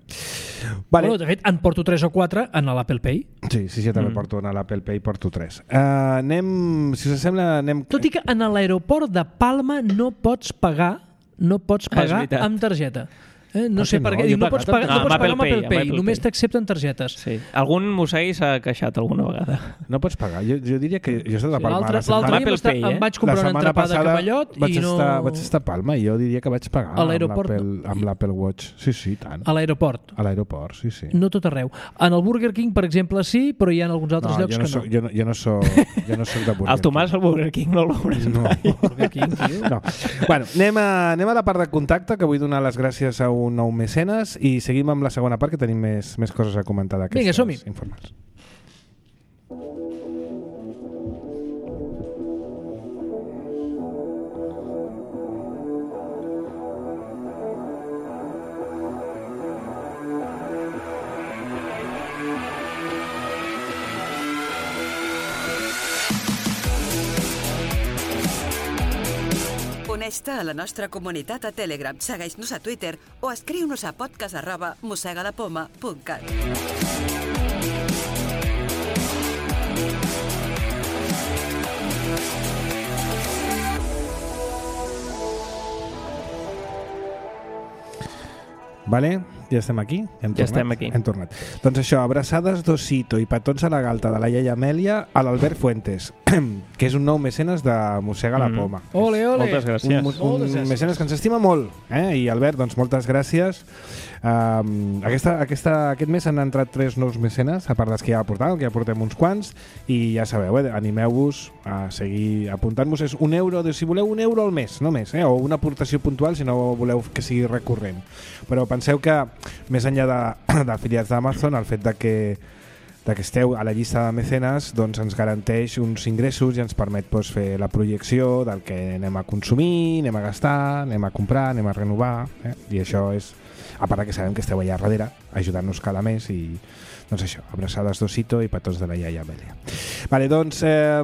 Vale. Bueno, de fet, en porto tres o quatre en l'Apple Pay. Sí, sí, sí, també mm. porto en l'Apple Pay, porto tres. Uh, anem, si us sembla, anem... Tot i que en l'aeroport de Palma no pots pagar, no pots pagar ah, amb targeta. Eh? No sé per no? què. Diu, no pots pagar, no, no pots pagar amb Apple Pay, Apple només Pay. t'accepten targetes. Sí. Algun mossegui s'ha queixat alguna vegada. No pots pagar. Jo, jo diria que jo he estat a Palma. L'altre dia estar, Pay, eh? em vaig comprar una entrepada de cavallot vaig i no... Estar, vaig estar a Palma i jo diria que vaig pagar a l'aeroport, amb l'Apple Watch. Sí, sí, tant. A l'aeroport? A l'aeroport, sí, sí. No tot arreu. En el Burger King, per exemple, sí, però hi ha alguns altres no, llocs jo no que soc, no. Jo no, jo no soc, jo no soc de Burger King. El Tomàs al Burger King no el veuràs no. mai. Burger King, tio. No. Bueno, anem a, anem a la part de contacte, que vull donar les gràcies a un nou mecenes i seguim amb la segona part, que tenim més, més coses a comentar d'aquestes Vinga, som-hi. informats. Uneix-te a la nostra comunitat a Telegram, segueix-nos a Twitter o escriu-nos a podcast arroba mossegalapoma punt cat. Vale, ja estem aquí? Hem ja tornat? estem aquí. Hem tornat. Doncs això, abraçades d'Osito i petons a la galta de la iaia Amèlia a l'Albert Fuentes, que és un nou mecenes de Mossega la Poma. Mm. Ole, ole! Moltes gràcies. Un, un, un mecenes que ens estima molt. Eh? I Albert, doncs moltes gràcies. Um, aquesta, aquesta, aquest mes han entrat tres nous mecenes, a part dels que ja portàvem, que ja portem uns quants, i ja sabeu, eh? Animeu-vos a seguir apuntant-vos. És un euro, si voleu un euro al mes, no més, eh? O una aportació puntual si no voleu que sigui recurrent. Però penseu que més enllà d'afiliats d'Amazon, el fet de que, de que esteu a la llista de mecenes doncs ens garanteix uns ingressos i ens permet doncs, fer la projecció del que anem a consumir, anem a gastar, anem a comprar, anem a renovar, eh? I això és, a part que sabem que esteu allà darrere ajudant-nos cada mes i doncs això, abraçades d'Osito i petons de la iaia Amèlia. Vale, doncs eh,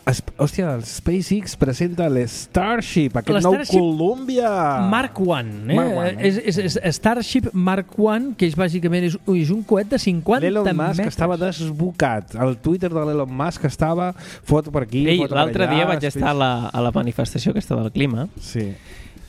Es, hòstia, el SpaceX presenta l'Starship, aquest nou Columbia Mark One, eh? Mark One, eh? És, és, és Starship Mark One, que és bàsicament és, és un coet de cinquanta L'Elon metres. Musk estava desbocat. El Twitter de l'Elon Musk estava foto per aquí, Ei, foto per allà. l'altre dia vaig estar a la, a la manifestació aquesta del clima. Sí.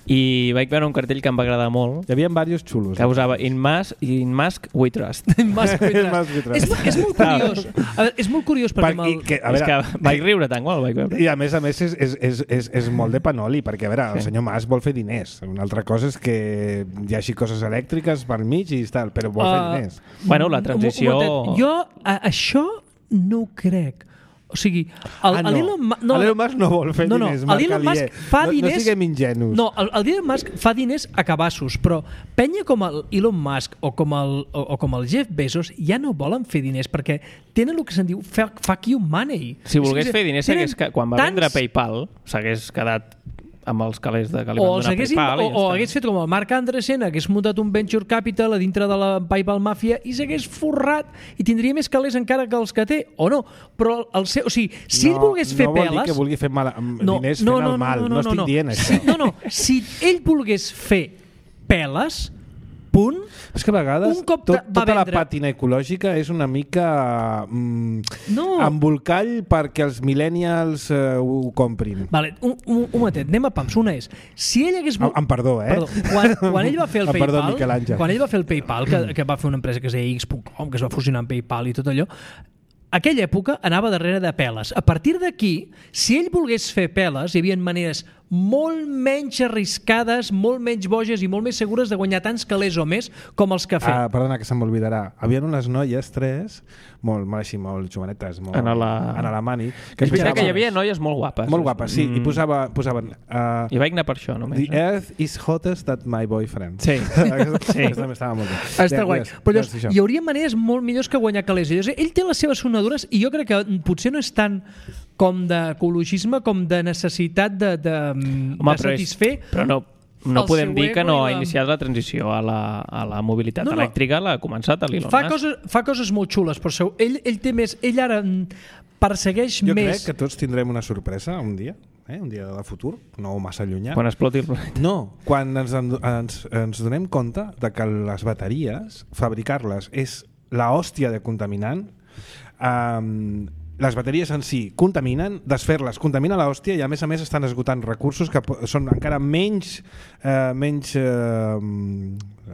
I vaig veure un cartell que em va agradar molt. Hi havia diversos xulos. Que posava In Musk, in Musk we trust. In Musk we trust. és, és molt curiós. A veure, és molt curiós perquè... Per, el... que, a veure, és que vaig riure tant quan el vaig veure. I a més a més és, és, és, és, és molt de panoli, perquè a veure, el senyor Musk vol fer diners. Una altra cosa és que hi hagi coses elèctriques per mig i tal, però vol uh, fer diners. Bueno, la transició... Jo a, això no ho crec. O sigui, el, ah, no. l'Elon Musk... No, L'Elon Musk no vol fer no, no, diners, Marc Elon Alier. Musk fa no, diners... No siguem ingenus. No, el, el Elon Musk fa diners a cabassos, però penya com el Elon Musk o com el, o, o com el Jeff Bezos ja no volen fer diners perquè tenen el que se'n diu fuck you money. Si volgués fer diners, tenen que, quan va tants... vendre PayPal, s'hagués quedat amb els calés de que li van donar PayPal. O, o hagués fet com el Mark Andreessen, hagués muntat un venture capital a dintre de la PayPal Mafia i s'hagués forrat i tindria més calés encara que els que té, o no. Però el seu, o sigui, si no, ell volgués fer no vol peles... dir que vulgui fer mal, no, diners no, fent no, el mal. No, no, no, no estic no, dient no. això. Si, no, no. Si ell volgués fer peles, punt... És que a vegades un cop tot, tota vendre... la pàtina ecològica és una mica mm, no. embolcall perquè els millennials uh, ho comprin. Vale, un, un, un momentet, anem a pams. Una és, si ell hagués... Amb, amb perdó, eh? Perdó. Quan, quan ell va fer el perdó, PayPal, quan ell va fer el PayPal, que, que va fer una empresa que es deia X punt com, que es va fusionar amb PayPal i tot allò, aquella època anava darrere de peles. A partir d'aquí, si ell volgués fer peles, hi havia maneres molt menys arriscades, molt menys boges i molt més segures de guanyar tants calés o més com els que ha fet. Ah, perdona, que se m'oblidarà. Havien unes noies, tres, molt, molt així, molt jovenetes, molt... En, la... en alemany. Que és veritat que hi havia noies molt guapes. Molt guapes, sí. Mm. I posava, posaven... Uh, I vaig anar per això, només. The earth is hottest than my boyfriend. Sí. sí. També estava molt bé. Està guai. Però llavors, hi hauria maneres molt millors que guanyar calés. Llavors, ell té les seves sonadures i jo crec que potser no és tant com d'ecologisme com de necessitat de, de, Home, de satisfer... Però no, no podem dir que no ha la... iniciat la transició a la, a la mobilitat no, no. elèctrica, l'ha començat a l'Elon fa Musk. Coses, fa coses molt xules, però ell, ell té més... Ell ara persegueix jo més... Jo crec que tots tindrem una sorpresa un dia, eh? Un dia de futur, no massa llunyà. Quan exploti el planeta. No, quan ens, ens, ens donem compte de que les bateries, fabricar-les és la hòstia de contaminant. Um, les bateries en si contaminen, desfer-les contamina la hòstia i a més a més estan esgotant recursos que són encara menys, eh, menys eh,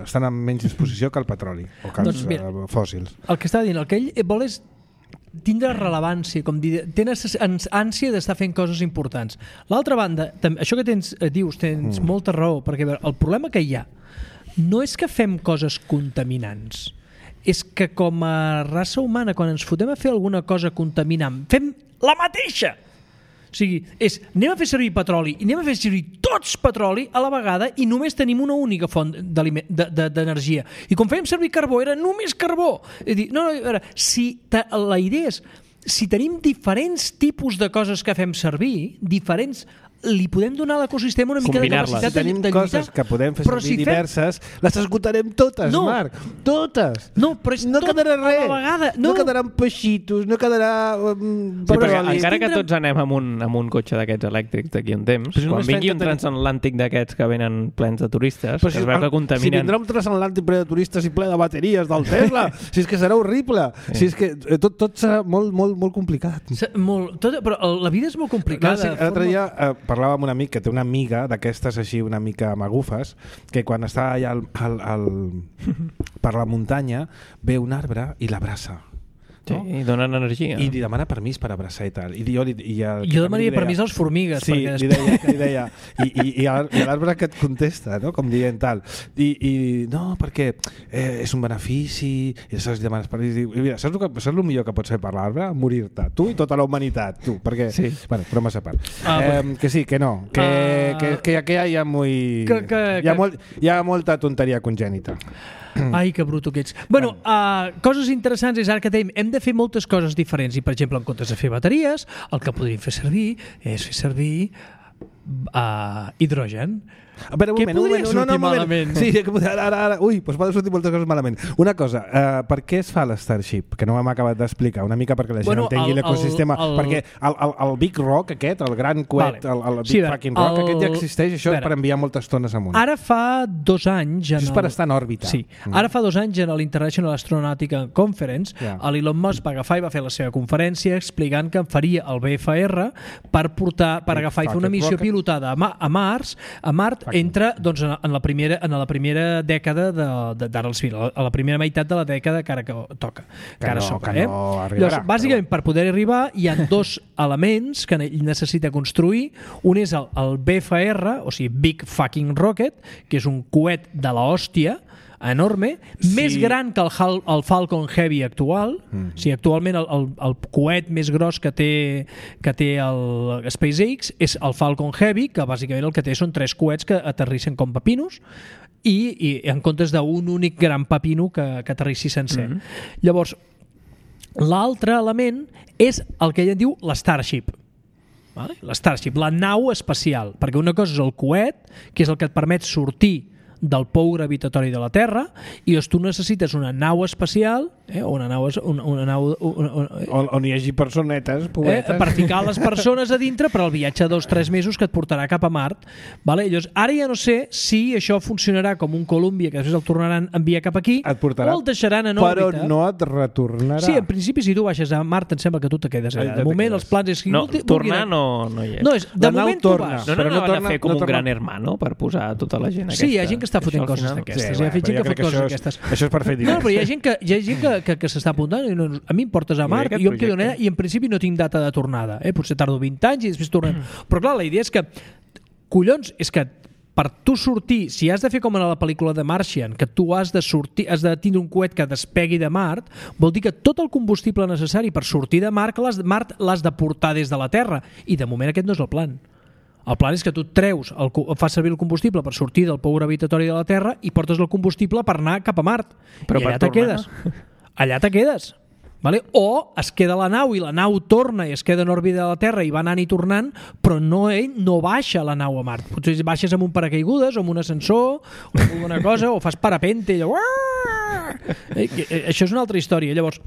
estan en menys disposició que el petroli o que els doncs, eh, fòssils. El que està dient, el que ell vol és tindre rellevància, com dir, tens ànsia d'estar fent coses importants. L'altra banda, també, això que tens, dius, tens mm. molta raó, perquè el problema que hi ha no és que fem coses contaminants, és que com a raça humana, quan ens fotem a fer alguna cosa contaminant, fem la mateixa. O sigui, és, anem a fer servir petroli i anem a fer servir tots petroli a la vegada i només tenim una única font d'energia. I quan fèiem servir carbó era només carbó. És dir, no, no, a veure, si la idea és, si tenim diferents tipus de coses que fem servir, diferents... li podem donar a l'ecosistema una mica de capacitat si tenim de lluitar. Coses que podem fer servir si diverses, fem... les esgotarem totes, no. Marc. Totes. No, però és no tot quedarà res. a la vegada. No, no quedaran peixitos, no quedarà... Um, sí, però encara que tots anem amb un, amb un cotxe d'aquests elèctrics d'aquí un temps, però quan vingui un transatlàntic d'aquests que venen plens de turistes, però que si, es veu que contaminen... Si vindrà un transatlàntic ple de turistes i ple de bateries del Tesla, si és que serà horrible, sí. Si és que tot, tot serà molt, molt, molt complicat. Molt, tot, però la vida és molt complicada. No, sí, l'altre dia eh, parlava amb un amic que té una amiga d'aquestes així una mica magufes que quan està allà al, al, al, per la muntanya ve un arbre i l'abraça. No? Sí, i donen energia. I li demana permís per abraçar i tal. I jo, li, i el, jo demanaria permís als formigues. Sí, perquè li deia, li deia i, i, i l'arbre que et contesta, no? Com dient tal. I, i no, perquè eh, és un benefici, i saps, demanes permís. I, mira, saps el, que, saps el millor que pots fer per l'arbre? Morir-te. Tu i tota la humanitat. Tu, perquè... Sí. Bueno, però massa part. Ah, eh, que sí, que no. Que, uh... que, que, que hi ha, muy... que, que, hi, ha que... molt, hi ha molta tonteria congènita. Ai, que bruto que ets. Bueno, uh, coses interessants és ara que tenim, hem de fer moltes coses diferents i, per exemple, en comptes de fer bateries, el que podríem fer servir és fer servir uh, hidrogen. A veure, un Què moment, un podria moment, sortir no, no, malament? Sí, ara, ara, ara, ui, doncs poden sortir moltes coses malament. Una cosa, uh, per què es fa l'Starship? Que no m'hem acabat d'explicar, una mica perquè la gent bueno, entengui l'ecosistema. El... Perquè el, el, el Big Rock aquest, el gran coet, vale. el, el Big sí, fucking Rock, el... aquest ja existeix, això veure, per enviar moltes tones amunt. Ara fa dos anys... Això és per estar en òrbita. Sí, mm. ara fa dos anys en l'International Astronautical Conference, yeah. l'Elon Musk va agafar i va fer la seva conferència explicant que faria el B F R per portar, per agafar i fer una missió rocket. pilotada a, Ma a Mars, a Mart, entre, doncs, en la primera, en la primera dècada d'ara de, al final, a la primera meitat de la dècada que ara que toca, que, que ara no, soca. Que eh? no arribarà, Llavors, bàsicament, però... per poder arribar, hi ha dos elements que necessita construir. Un és el, el B F R, o sigui, Big Fucking Rocket, que és un coet de l'hòstia, enorme, sí. més gran que el, el Falcon Heavy actual. Mm. O sigui, actualment el, el, el coet més gros que té, que té el SpaceX és el Falcon Heavy, que bàsicament el que té són tres coets que aterrissen com pepinos i, i en comptes d'un únic gran pepino que, que aterrissi sencer. Mm. Llavors, l'altre element és el que ella diu l'Starship. Vale? L'Starship, la nau espacial, perquè una cosa és el coet, que és el que et permet sortir del pou gravitatori de la Terra, i llavors tu necessites una nau espacial, eh, una nau, una, una nau una, una, on, on hi hagi personetes, poetes, eh, per ficar les persones a dintre per al viatge de dos o tres mesos que et portarà cap a Mart. Vale? Llavors, ara ja no sé si això funcionarà com un Columbia, que després el tornaran a enviar cap aquí, et portarà, o el deixaran en però òrbita. Però no et retornarà. Sí, en principi, si tu baixes a Mart, em sembla que tu te quedes allà. De moment, els plans és... No, tornar no, no hi és. No, és de moment tu vas. No, no, no, no, no van a fer com no un gran hermano per posar tota la gent aquesta. Sí, hi ha gent que està fotent coses d'aquestes. Sí, hi ha gent que fot coses d'aquestes. Això és per fer diners. No, però hi ha gent que, hi ha gent que, que, que s'està apuntant i no, a mi em portes a Mart i jo em quedo allà i en principi no tinc data de tornada. Eh? Potser tardo vint anys i després tornem. Mm. Però clar, la idea és que collons, és que per tu sortir, si has de fer com en la pel·lícula de Martian, que tu has de sortir, has de tindre un coet que despegui de Mart, vol dir que tot el combustible necessari per sortir de Mart l'has de portar des de la Terra, i de moment aquest no és el plan. El plan és que tu treus, el, fas servir el combustible per sortir del pou gravitatori de la Terra i portes el combustible per anar cap a Mart. Però i allà te quedes. Allà te quedes. Vale? O es queda la nau i la nau torna i es queda en òrbita de la Terra i va anant i tornant, però no, ell no baixa la nau a Mart. Potser baixes amb un paracaigudes o amb un ascensor o alguna cosa, o fas parapente i allò... Eh, això és una altra història. Llavors,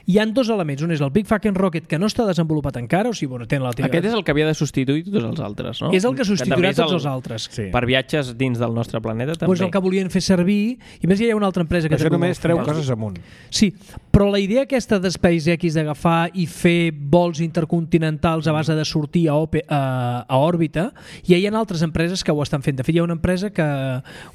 hi ha dos elements. Un és el Big Fucking Rocket, que no està desenvolupat encara, o sigui, bueno, té la teva... Aquest és el que havia de substituir tots els altres, no? És el que substituirà tots els altres. Sí. Per viatges dins del nostre planeta, també. Pues el que volien fer servir, i més hi ha una altra empresa que... Això només treu coses amunt. Sí, però la idea aquesta de SpaceX d'agafar i fer vols intercontinentals a base de sortir a, ope, a, a òrbita, ja hi ha altres empreses que ho estan fent. De fet, hi ha una empresa que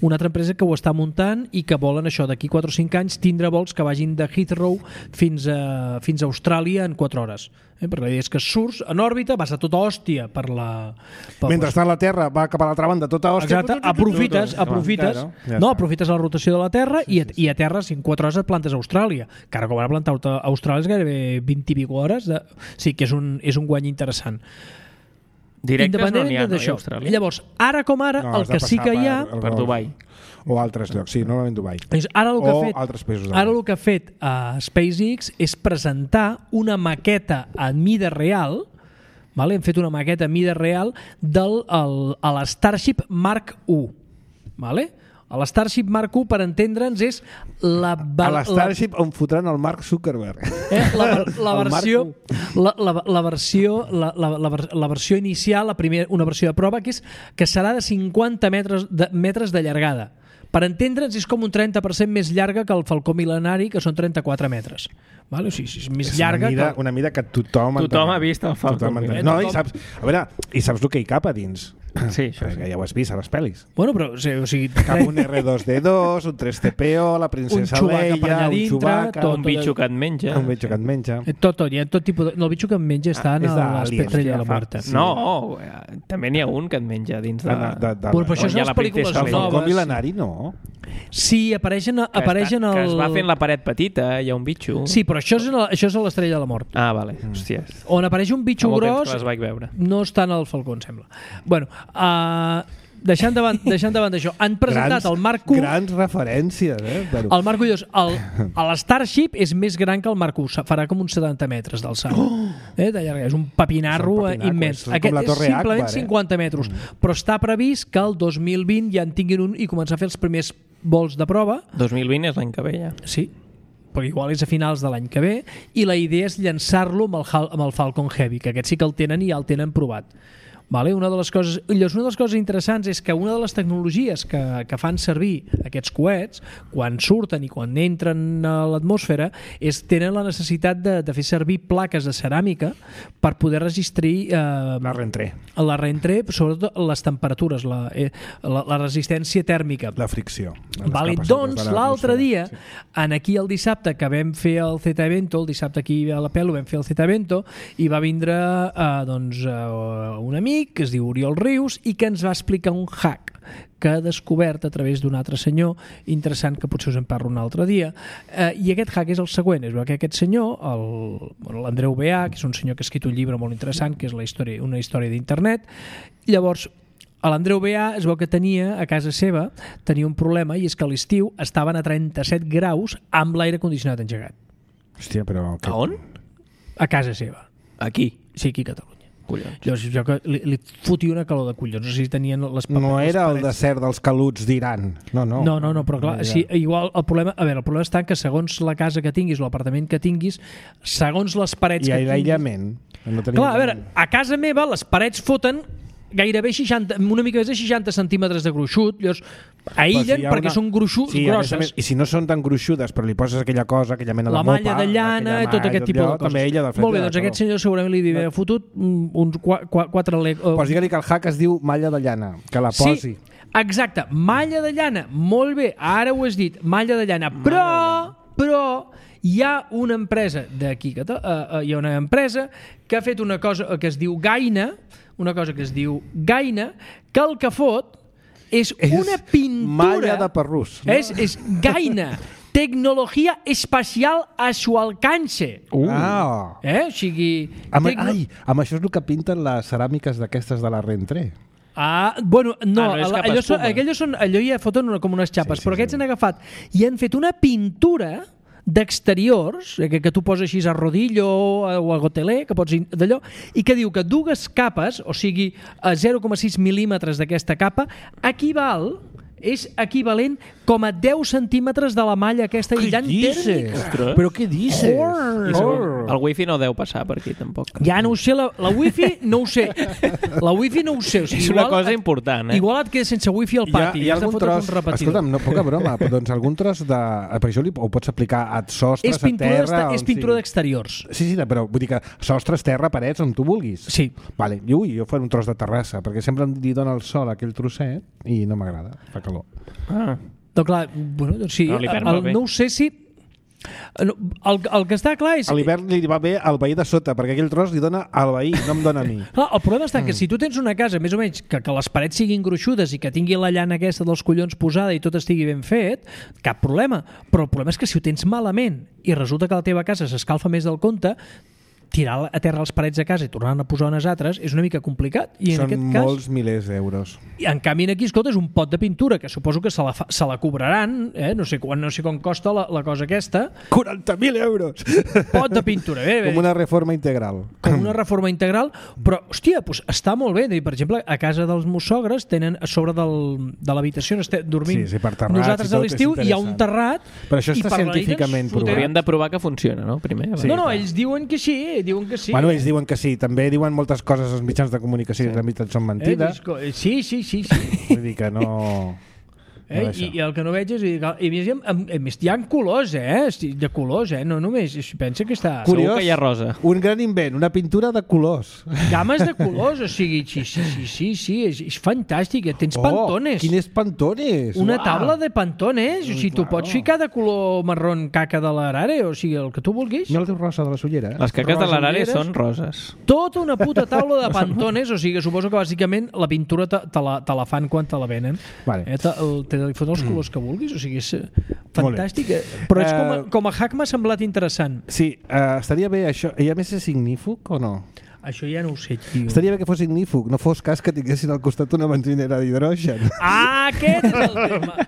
una altra empresa que ho està muntant i que volen això, d'aquí quatre o cinc anys, tindre vols que vagin de Heathrow fins a fins a Austràlia en quatre hores. Eh? Perquè la idea és que surts en òrbita, vas a tota hòstia per la... Per Mentre la Terra va cap a l'altra banda, tota hòstia... Exacte, aprofites, aprofites, claro, no, aprofites la rotació de la Terra i, i a Terra, si en quatre hores et plantes a Austràlia. Que ara com ara plantar a Austràlia és gairebé vint i pico hores. De... Sí, que és un, és un guany interessant. Directes no n'hi ha, no, a Austràlia. Llavors, ara com ara, no, el que sí que hi ha... Per, per Dubai. O altres llocs, sí, normalment Dubai. Ara el que o ha fet, altres països. Ara el que ha fet uh, SpaceX és presentar una maqueta a mida real, vale? Hem fet una maqueta a mida real del el, a l'Starship Mark u. Vale? A l'Starship Mark u, per entendre'ns, és la... A l'Starship on fotran el Mark Zuckerberg. Eh? La, la, versió, la, la, la, versió, la, la, la, la versió inicial, la primera, una versió de prova, que, és, que serà de cinquanta metres de, metres de llargada. Per entendre'ns, és com un trenta per cent més llarga que el Falcó Mil·lenari, que són trenta-quatre metres. Vale? O sigui, és més és llarga una mida, que... una mida que tothom... Tothom ha vist el Falcó Mil·lenari. No, i saps, a veure, i saps el que hi cap a dins? Sí, això sí. Que ja ho has vist a les pel·lis. Bueno, però... O sigui, cap un erre dos de dos, un tres T P O, la princesa Leia, un Chewbacca... Tot, un bitxo que et menja. Un bitxo que et menja. Tot, tot. Hi ha tot tipus de... No, el bitxo que et menja està en l'espectre de la mort. No, també n'hi ha un que et menja dins de... Però això són les pel·lícules noves. El Falcó Mil·lenari, no. Sí, apareixen, apareixen el... Que es va fent la paret petita, hi ha un bitxo. Sí, però això és, això és a l'Estrella de la Mort. Ah, vale. Hòstia. On apareix un bitxo gros... les vaig veure. No està en el Falcó, em sembla. Bueno, uh, deixant davant, deixant davant d'això, han presentat grans, el Mark u... Grans referències, eh? Però... El Mark u, el, el Starship és més gran que el Mark u, farà com uns setanta metres d'alçada. Oh! Eh, de llarga, és un papinarro és un papinaco, immens. És Aquest és simplement Akbar, eh? cinquanta metres, mm. però està previst que el dos mil vint ja en tinguin un i començar a fer els primers vols de prova. dos mil vint és l'any que ve, ja. Sí, perquè igual és a finals de l'any que ve, i la idea és llançar-lo amb el, amb el Falcon Heavy, que aquest sí que el tenen i ja el tenen provat. Vale? Una de les coses, una de les coses interessants és que una de les tecnologies que, que fan servir aquests coets, quan surten i quan entren a l'atmosfera, és tenen la necessitat de, de fer servir plaques de ceràmica per poder registrar eh, la reentré. La reentré, sobretot les temperatures, la, eh, la, la resistència tèrmica. La fricció. Vale, doncs l'altre dia, sí. en aquí el dissabte que vam fer el Z Evento, el dissabte aquí a la Pelo vam fer el Z Evento, i va vindre eh, doncs, eh, un amic que es diu Oriol Rius i que ens va explicar un hack que ha descobert a través d'un altre senyor interessant que potser us en parlo un altre dia, eh, i aquest hack és el següent, és que aquest senyor, l'Andreu Beà, que és un senyor que ha escrit un llibre molt interessant, que és la història, una història d'internet, llavors l'Andreu Beà es veu que tenia a casa seva tenia un problema, i és que a l'estiu estaven a trenta-set graus amb l'aire condicionat engegat. Hòstia, però... A on? A casa seva. Aquí? Sí, aquí a Catalunya. Collons. Llavors, jo que li, li fotia una calor de collons. No sé si tenien les paperes, no era el desert dels caluts d'Iran. No, no. No, no, no, però clar, no sí, igual el problema, a veure, el problema està que segons la casa que tinguis o l'apartament que tinguis, segons les parets I que tinguis... I l'aïllament. No clar, a veure, a casa meva les parets foten gairebé seixanta, una mica més de seixanta centímetres de gruixut, llavors aïllen si perquè una... són gruixut, sí, grosses. Més, I si no són tan gruixudes, però li poses aquella cosa, aquella mena de la mopa... La malla de llana i tot aquest tipus de coses. També ella Molt bé, doncs aquest senyor segurament li havia fotut uns quatre... Uh... Pots dir-li que el hack es diu malla de llana, que la posi. Sí, exacte, malla de llana, molt bé, ara ho has dit, malla de llana, però, però hi ha una empresa d'aquí, uh, uh, hi ha una empresa que ha fet una cosa que es diu Gaina, una cosa que es diu Gaina, que el que fot és, és una pintura... Malla de perrús. No? És, és Gaina, tecnologia espacial a su alcance. Uh. Ah. Eh? O sigui... Amb, tecno... Ai, amb això és el que pinten les ceràmiques d'aquestes de la Reentré. Ah, bueno, no, ah, no allò, són, allò, són, allò ja foten una, com unes xapes, sí, sí, però aquests sí. han agafat i han fet una pintura d'exteriors, que, que tu poses així a rodillo o a gotelé, que pots d'allò, i que diu que dues capes, o sigui, a zero coma sis mil·límetres d'aquesta capa, equival, és equivalent com a deu centímetres de la malla aquesta aïllant tèrmica. Però què dices? Oh. El wifi no deu passar per aquí, tampoc. Ja no ho sé, la, la wifi no ho sé. La wifi no ho sé. O sigui, és una cosa et, important, eh? Igual et quedes sense wifi al pati. Hi ha, hi ha algun tros... Escolta'm, no, poca broma, doncs algun tros de... Per això li, ho pots aplicar a sostres, a terra... És pintura sí. d'exteriors. Sí, sí, però vull dir que sostres, terra, parets, on tu vulguis. Sí. Vale, i ui, jo faré un tros de terrassa, perquè sempre li dona el sol a aquell trosset i no m'agrada, fa calor. Ah. Doncs clar, bueno, doncs sí, no, el, no ho sé si... No, el, el que està clar és... A l'hivern li va bé al veí de sota, perquè aquell tros li dona al veí, no em dona a mi. Clar, el problema està mm. que si tu tens una casa, més o menys, que, que les parets siguin gruixudes i que tingui la llana aquesta dels collons posada i tot estigui ben fet, cap problema. Però el problema és que si ho tens malament i resulta que la teva casa s'escalfa més del compte, tirar a terra les parets de casa i tornar a posar unes altres és una mica complicat. I en Són aquest cas, molts milers d'euros. I en canvi aquí, escolta, és un pot de pintura que suposo que se la, fa, se la cobraran, eh? no sé quan, no sé com costa la, la cosa aquesta. quaranta mil euros! Pot de pintura, bé, bé. Com una reforma integral. Com una reforma integral, però, hòstia, doncs està molt bé. Per exemple, a casa dels meus sogres tenen a sobre del, de l'habitació on estem dormint sí, sí, per terrats, nosaltres a l'estiu, hi ha un terrat. Però això està científicament provat. Hauríem de provar que funciona, no? Primer. Sí, no, no, clar. Ells diuen que sí, diuen que sí. Bueno, ells diuen que sí. També diuen moltes coses als mitjans de comunicació sí. i la veritat són mentides. Eh, sí, sí, sí, sí. Vull dir que no... Eh? I, I el que no veig és... I, i, i, a més, hi ha colors, eh? De colors, eh? No només... Pensa que està... Curiós, segur que hi ha rosa. Un gran invent, una pintura de colors. Games de colors, o sigui... Sí, sí, sí, sí, sí és, és fantàstic. Tens oh, pantones. Quines pantones? Una Uau. taula de pantones. O sigui, tu pots ficar de color marrón caca de l'arare, o sigui, el que tu vulguis. No el teu rosa de la sollera. Les caques rosa de l'arare són roses. Tota una puta taula de pantones, o sigui, suposo que bàsicament la pintura te, te, la, te la fan quan te la venen. Vale. Eh, te, te li foten els colors que vulguis, o sigui, és fantàstic, però és com a, com a hack m'ha semblat interessant. Sí, uh, estaria bé això. I a més és ignífug o no? Això ja no ho sé, tio. Estaria bé que fos ignífug, no fos cas que tinguessin al costat una benzinera d'hidrogen. Ah, aquest és el tema.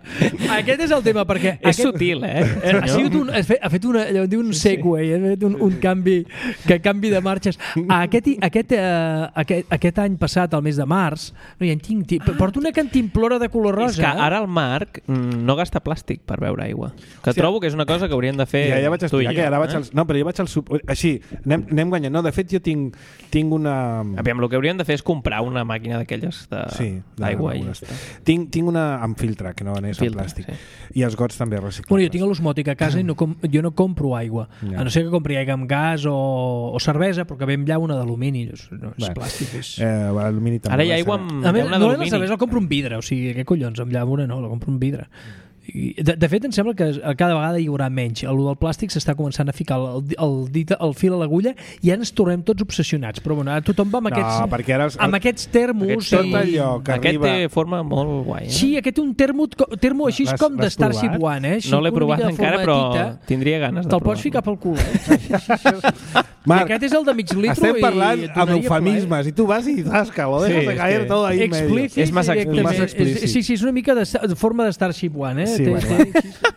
Aquest és el tema, perquè... És aquest... sutil, eh? Ha, sigut un, ha fet, ha fet una, allò, un segway, ha fet un, un canvi, que canvi de marxes. Aquest, aquest, uh, aquest, aquest any passat, al mes de març, no, ja en tinc, ah. porto una cantimplora de color rosa. És que ara el Marc no gasta plàstic per beure aigua. Que sí, trobo que és una cosa que haurien de fer ja, ja vaig tu i jo. Que ara vaig eh? al, no, però jo vaig al... Així, anem, anem guanyant. No, de fet, jo tinc... Tinc una... Aviam, el que haurien de fer és comprar una màquina d'aquelles d'aigua. Sí, tinc, tinc una amb filtre, que no és amb plàstic. Sí. I els gots també reciclables. Bueno, jo tinc l'osmòtic a casa i no com, jo no compro aigua. Ja. A no ser que compri aigua amb gas o, o cervesa, però que ve amb llauna d'alumini. No és Bé, plàstic. És... Eh, alumini també. Ara hi ha aigua amb llauna d'alumini. No, la cervesa la compro un vidre. O sigui, què collons? Amb llauna no, la compro un vidre. De, de fet, em sembla que cada vegada hi haurà menys. El del plàstic s'està començant a ficar el, el, el, el fil a l'agulla i ja ens tornem tots obsessionats. Però bueno, ara tothom va amb aquests, no, perquè ara els, amb aquests termos. Aquest, tot i... allò que aquest arriba... té forma molt guai. Eh? Sí, aquest té un termo, termo així com de Starship One. Eh? No l'he provat encara, però tita, tindria ganes de provar-lo. Te'l pots ficar pel cul. Eh? Marc, aquest és el de mig litro. Estem parlant amb eufemismes i tu vas i zasca, lo dejas de caer todo ahí en medio. És massa explícit. Sí, sí, és una mica de, de forma de Starship One. Eh? Sí, té, bueno. té,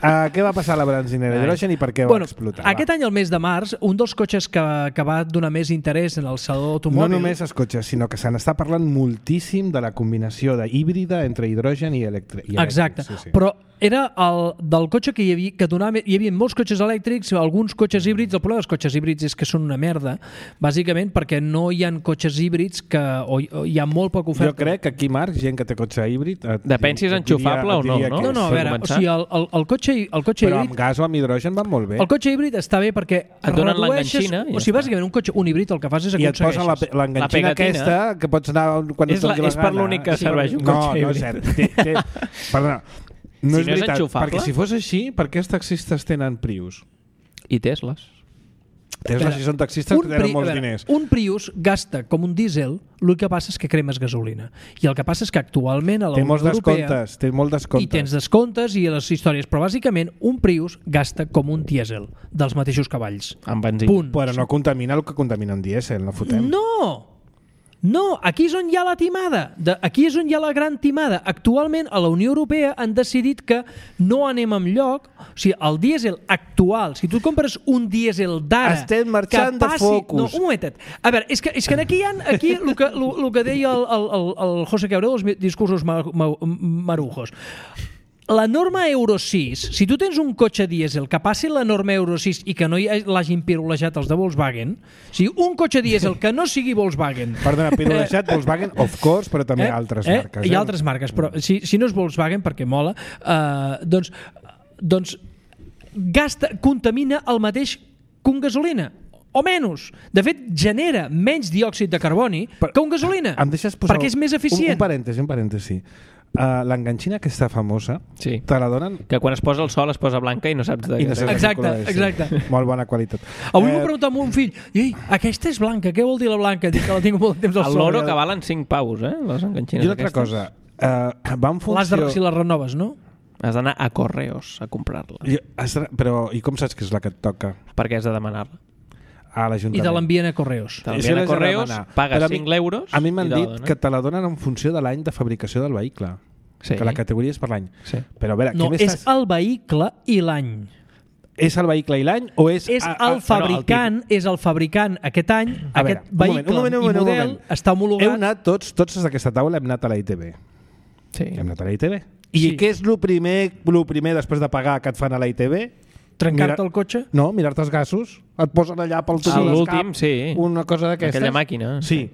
Uh, què va passar a la benzinera d'hidrogen i per què bueno, va explotar? Aquest va? any, al mes de març, un dels cotxes que, que va donar més interès en el saló automòbil... No només els cotxes, sinó que se n'està parlant moltíssim de la combinació de híbrida entre hidrogen i elèctric. Exacte, sí, sí. Però era el del cotxe que hi havia, que donava, hi havia molts cotxes elèctrics, alguns cotxes híbrids. El problema dels cotxes híbrids és que són una merda, bàsicament perquè no hi ha cotxes híbrids que o, o hi ha molt poca oferta. Jo crec que aquí, Marc, gent que té cotxe híbrid... Depèn si és enxufable o no, no? No, no, a veure, o sigui, el, el, el cotxe, el cotxe però híbrid... amb gas o amb hidrogen van molt bé. El cotxe híbrid està bé perquè et donen l'enganxina. O sigui, bàsicament, un cotxe, un híbrid, el que fas és i et posen l'enganxina aquesta que pots anar quan et doni la gana. És per l'únic que serveix un cotxe híbrid. No, no és cert. Té, té, perdona, no si és no és veritat, enxufable? perquè si fos així, per què els taxistes tenen Prius? I Tesles. Tesla, si són taxistes, que tenen molts diners. Un Prius gasta com un dièsel, el que passa és que cremes gasolina. I el que passa és que actualment a la Unió Europea... Té molts descomptes. I tens descomptes i les històries, però bàsicament un Prius gasta com un dièsel, dels mateixos cavalls. Amb benzina. Punt. Però no contamina el que contamina un dièsel, no fotem. No! No, aquí és on hi ha la timada. De, aquí és on hi ha la gran timada. Actualment, a la Unió Europea han decidit que no anem enlloc. O sigui, el dièsel actual, si tu compres un dièsel d'ara... Estem marxant que passi, de focus. No, un momentet. A veure, és que, és que aquí hi ha aquí el que, el, el que deia el, el, el José Cabrera dels discursos ma, ma, marujos. La norma Euro sis, si tu tens un cotxe dièsel que passi la norma Euro sis i que no l'hagin pirulejat els de Volkswagen, o sigui, un cotxe dièsel que no sigui Volkswagen... Perdona, pirulejat Volkswagen, of course, però també eh? altres eh? marques. Eh? Hi ha altres marques, però si, si no és Volkswagen, perquè mola, eh, doncs, doncs gasta, contamina el mateix que un gasolina. O menys. De fet, genera menys diòxid de carboni però, que un gasolina. Em deixes posar perquè és més eficient. Un, un parèntesi, un parèntesi. Uh, l'enganxina aquesta famosa, sí. te la donen... Que quan es posa el sol es posa blanca i no saps de què. No saps exacte, de exacte. Sí. Molt bona qualitat. Avui eh... m'ho preguntat amb un fill, ei, aquesta és blanca, què vol dir la blanca? Dic que la tinc molt de temps al sol. El loro que valen cinc paus, eh? Les enganxines I una altra cosa, uh, va en funció... L'has de, si les renoves, no? Has d'anar a Correos a comprar-la. I, però, i com saps que és la que et toca? Perquè has de demanar-la. A l'Ajuntament. I te l'envien a Correos. Te l'envien a Correos, pagues cinc euros... A mi m'han dit que te la donen en funció de l'any de fabricació del vehicle. Sí. Que la categoria és per l'any. Sí. Però a veure, no, és estàs... el vehicle i l'any. És el vehicle i l'any o és... És a, a, el fabricant, no, el és el fabricant aquest any, a aquest veure, vehicle un moment, un moment, i model està homologat... Heu anat tots, tots d'aquesta taula hem anat a la I T B. Sí. Hem anat a la I T B. I sí. què és el primer, el primer després de pagar que et fan a la I T B? Trencar-te el cotxe? No, mirar-te els gasos. Et posen allà pel tub del cap, sí. Una cosa d'aquestes. Aquella màquina. Sí.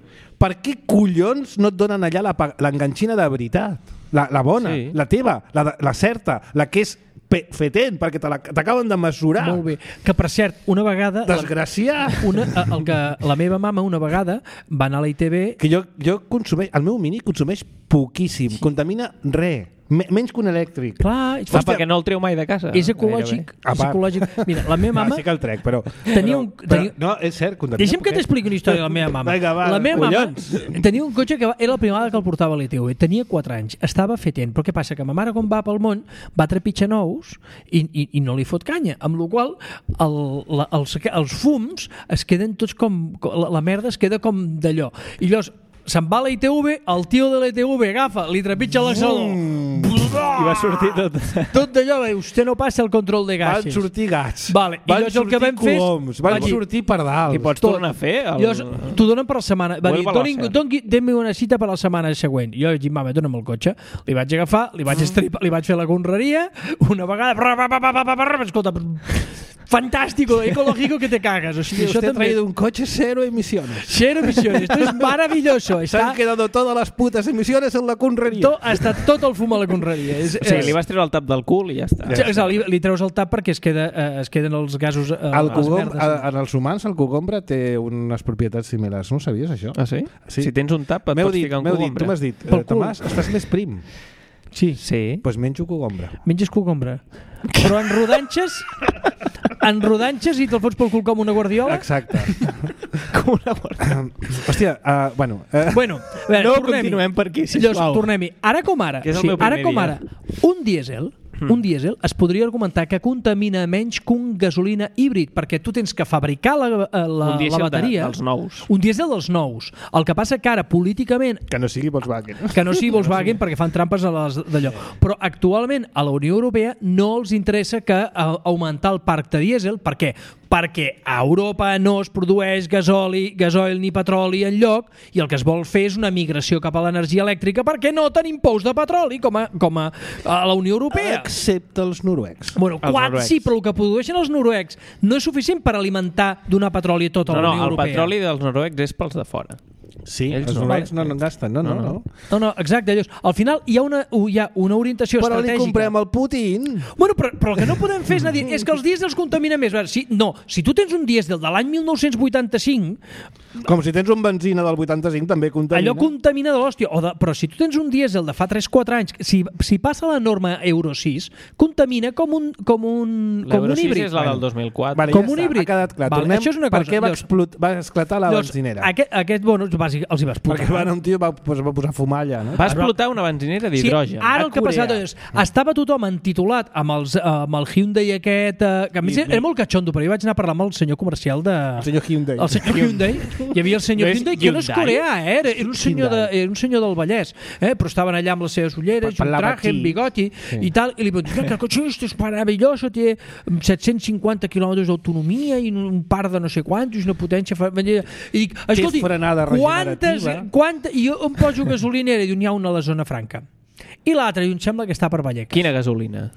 Per què collons no et donen allà l'enganxina de veritat? La, la bona, sí. La teva, la, la certa, la que és fetent, perquè t'acaben de mesurar. Molt bé. Que, per cert, una vegada... Desgraciat! Una, el que, la meva mama una vegada va anar a la I T B... Que jo, jo consumeix... El meu Mini consumeix poquíssim. Sí. Contamina res. Menys que un elèctric. Clar, Hòstia, perquè no el treu mai de casa. És ecològic. És ecològic. Mira, la meva mama... No, sí que el trec, però... Tenia un, tenia... Però, no, és cert. Deixa'm que t'expliqui una història de la meva mama. Vinga, va, la meva collons. mama tenia un cotxe que va, era la primera vegada que el portava a l'E T V. Tenia quatre anys. Estava fetent. Però què passa? Que ma mare, quan va pel món, va trepitjar nous i, i, i no li fot canya. Amb la qual el, la, els, els fums es queden tots com... La, la merda es queda com d'allò. I llavors se'n va a l'E T V, el tio de l'E T V agafa, li trepitja l'accelerador. Mm. I va sortir tot... Tot d'allò, vostè no passa el control de gasos. Van sortir gats. Vale. Van I llavors el que vam fer coloms. Van dir, sortir pardals. I pots tot. tornar a fer? El... Llavors, t'ho donen per la setmana. Va dir, doni, doni una cita per la setmana següent. Jo vaig dir, mama, dona'm el cotxe. Li vaig agafar, li vaig estripar, li vaig fer la conreria, una vegada... Escolta, fantástico, ecológico que te cagas. O sigui, sí, usted ha traído un coche cero emisiones. Cero emisiones. Esto es maravilloso. Se han quedado todas las putas emisiones en la conreria. To, ha estat tot el fum a la conreria. És, o sigui, li vas treure el tap del cul i ja està. Ja, ja. Li, li treus el tap perquè es, queda, eh, es queden els gasos... Eh, el cogom, a, en els humans el cogombre té unes propietats similars. No ho sabies, això? Ah, sí? sí. Si tens un tap et pots dit, ficar un cogombre. Dit, tu m'has dit, eh, Tomàs, estàs més prim. Sí. Sí. Doncs pues menjo cogombre. Menges cogombre. Però en rodanxes... en rodanxes i te'l fots pel cul com una guardiola? Exacte. Com una guardiola. Uh, hòstia, uh, bueno... Uh, bueno, a veure, no tornem-hi. continuem per aquí, sisplau. Tornem-hi. Ara com ara, sí, ara com ara, un dièsel un dièsel es podria argumentar que contamina menys que un gasolina híbrid, perquè tu tens que fabricar la, la, la bateria. Un dièsel dels nous. Un dièsel dels nous. El que passa que ara, políticament... Que no sigui Volkswagen. Que no sigui Volkswagen perquè fan trampes a les d'allò. Però actualment a la Unió Europea no els interessa que a, augmentar el parc de dièsel. Per què? Perquè a Europa no es produeix gasoli, gasoil ni petroli enlloc i el que es vol fer és una migració cap a l'energia elèctrica perquè no tenim pous de petroli com a, com a, a la Unió Europea. Excepte els noruecs. Bueno, els quan noruecs. Sí, però el que produeixen els noruecs no és suficient per alimentar donar petroli a tota no, la Unió no, Europea. No, el petroli dels noruecs és pels de fora. Sí, ells els no. noruecs no, no en gasten, no, no, no. No, no, no exacte. Llavors, al final hi ha una, hi ha una orientació però estratègica. Però li comprem el Putin. Bueno, però, però el que no podem fer és anar dient és que els dièsels contaminen més. Si, no, si tu tens un dièsel de l'any mil nou-cents vuitanta-cinc... Com si tens un benzina del vuitanta-cinc també contamina. Allò contamina de l'hòstia. O de, però si tu tens un dièsel de fa tres quatre anys, si, si passa la norma Euro sis, contamina com un, com un, com un híbrid. L'Euro sis és la del dos mil quatre. Vale, com ja un està, híbrid. Ha quedat clar. Vale, Tornem això és una per cosa. què va, Llavors, explot, va esclatar la llavors, benzinera. Aquest, aquest bueno, bàsic, els hi va explotar. Perquè va anar un tio va, pues, va posar fumar allà, no? Va explotar una benzinera d'hidrogen. Sí, ara el que ha passat és, estava tothom entitulat amb, els, amb el Hyundai aquest, eh, que a més era molt catxondo, però jo vaig anar a parlar amb el senyor comercial de... El senyor Hyundai. El senyor Hyundai. Hi havia el senyor Hyundai, que no és coreà, eh? Era, era, un senyor de, era un senyor del Vallès, eh? Però estaven allà amb les seves ulleres, un traje, un bigoti sí. I tal, i li van dir que el cotxe és meravelloso, té set-cents cinquanta quilòmetres d'autonomia i un par de no sé quantos, una potència... I dic, escolti, quantes... Quanta, i jo em poso gasolinera i n'hi ha una a la zona franca. I l'altra, i em sembla que està per Vallecas. Quina gasolina?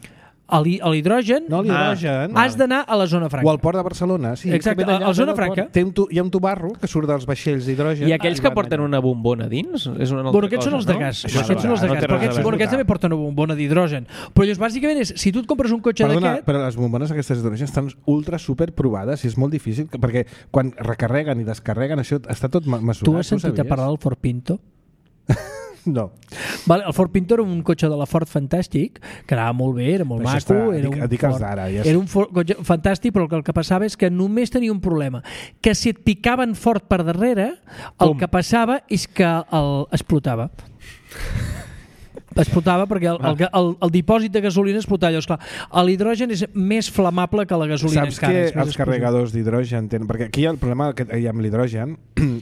A l'hidrogen, no, l'hidrogen ah, has d'anar a la zona franca. O al port de Barcelona. Sí, exacte, a la zona franca. Té un tu, hi ha un tubarro que surt dels vaixells d'hidrogen. I aquells que porten una bombona dins? És una altra bueno, aquests cosa, són els de gas. No? Aquests són els de gas. Però aquests, bueno, aquests també porten una bombona d'hidrogen. Però llavors, bàsicament, és, si tu et compres un cotxe d'aquest... Però les bombones aquestes d'hidrogen estan ultra super provades i és molt difícil, perquè quan recarreguen i descarreguen, això està tot mesurat. Tu has sentit a parlar del Ford Pinto? No. Vale, el Ford Pinto era un cotxe de la Ford fantàstic, que anava molt bé, era molt maco, està, era dic, un dic Ford, d'ara, ja era un Ford, cotxe fantàstic, però el que passava és que només tenia un problema, que si et picaven fort per darrere, el Com? que passava és que el explotava. explotava perquè el, el, el, el dipòsit de gasolina explotava. Llavors, clar, l'hidrogen és més flamable que la gasolina. Saps encara, que els carregadors d'hidrogen tenen... Perquè aquí el problema que hi ha amb l'hidrogen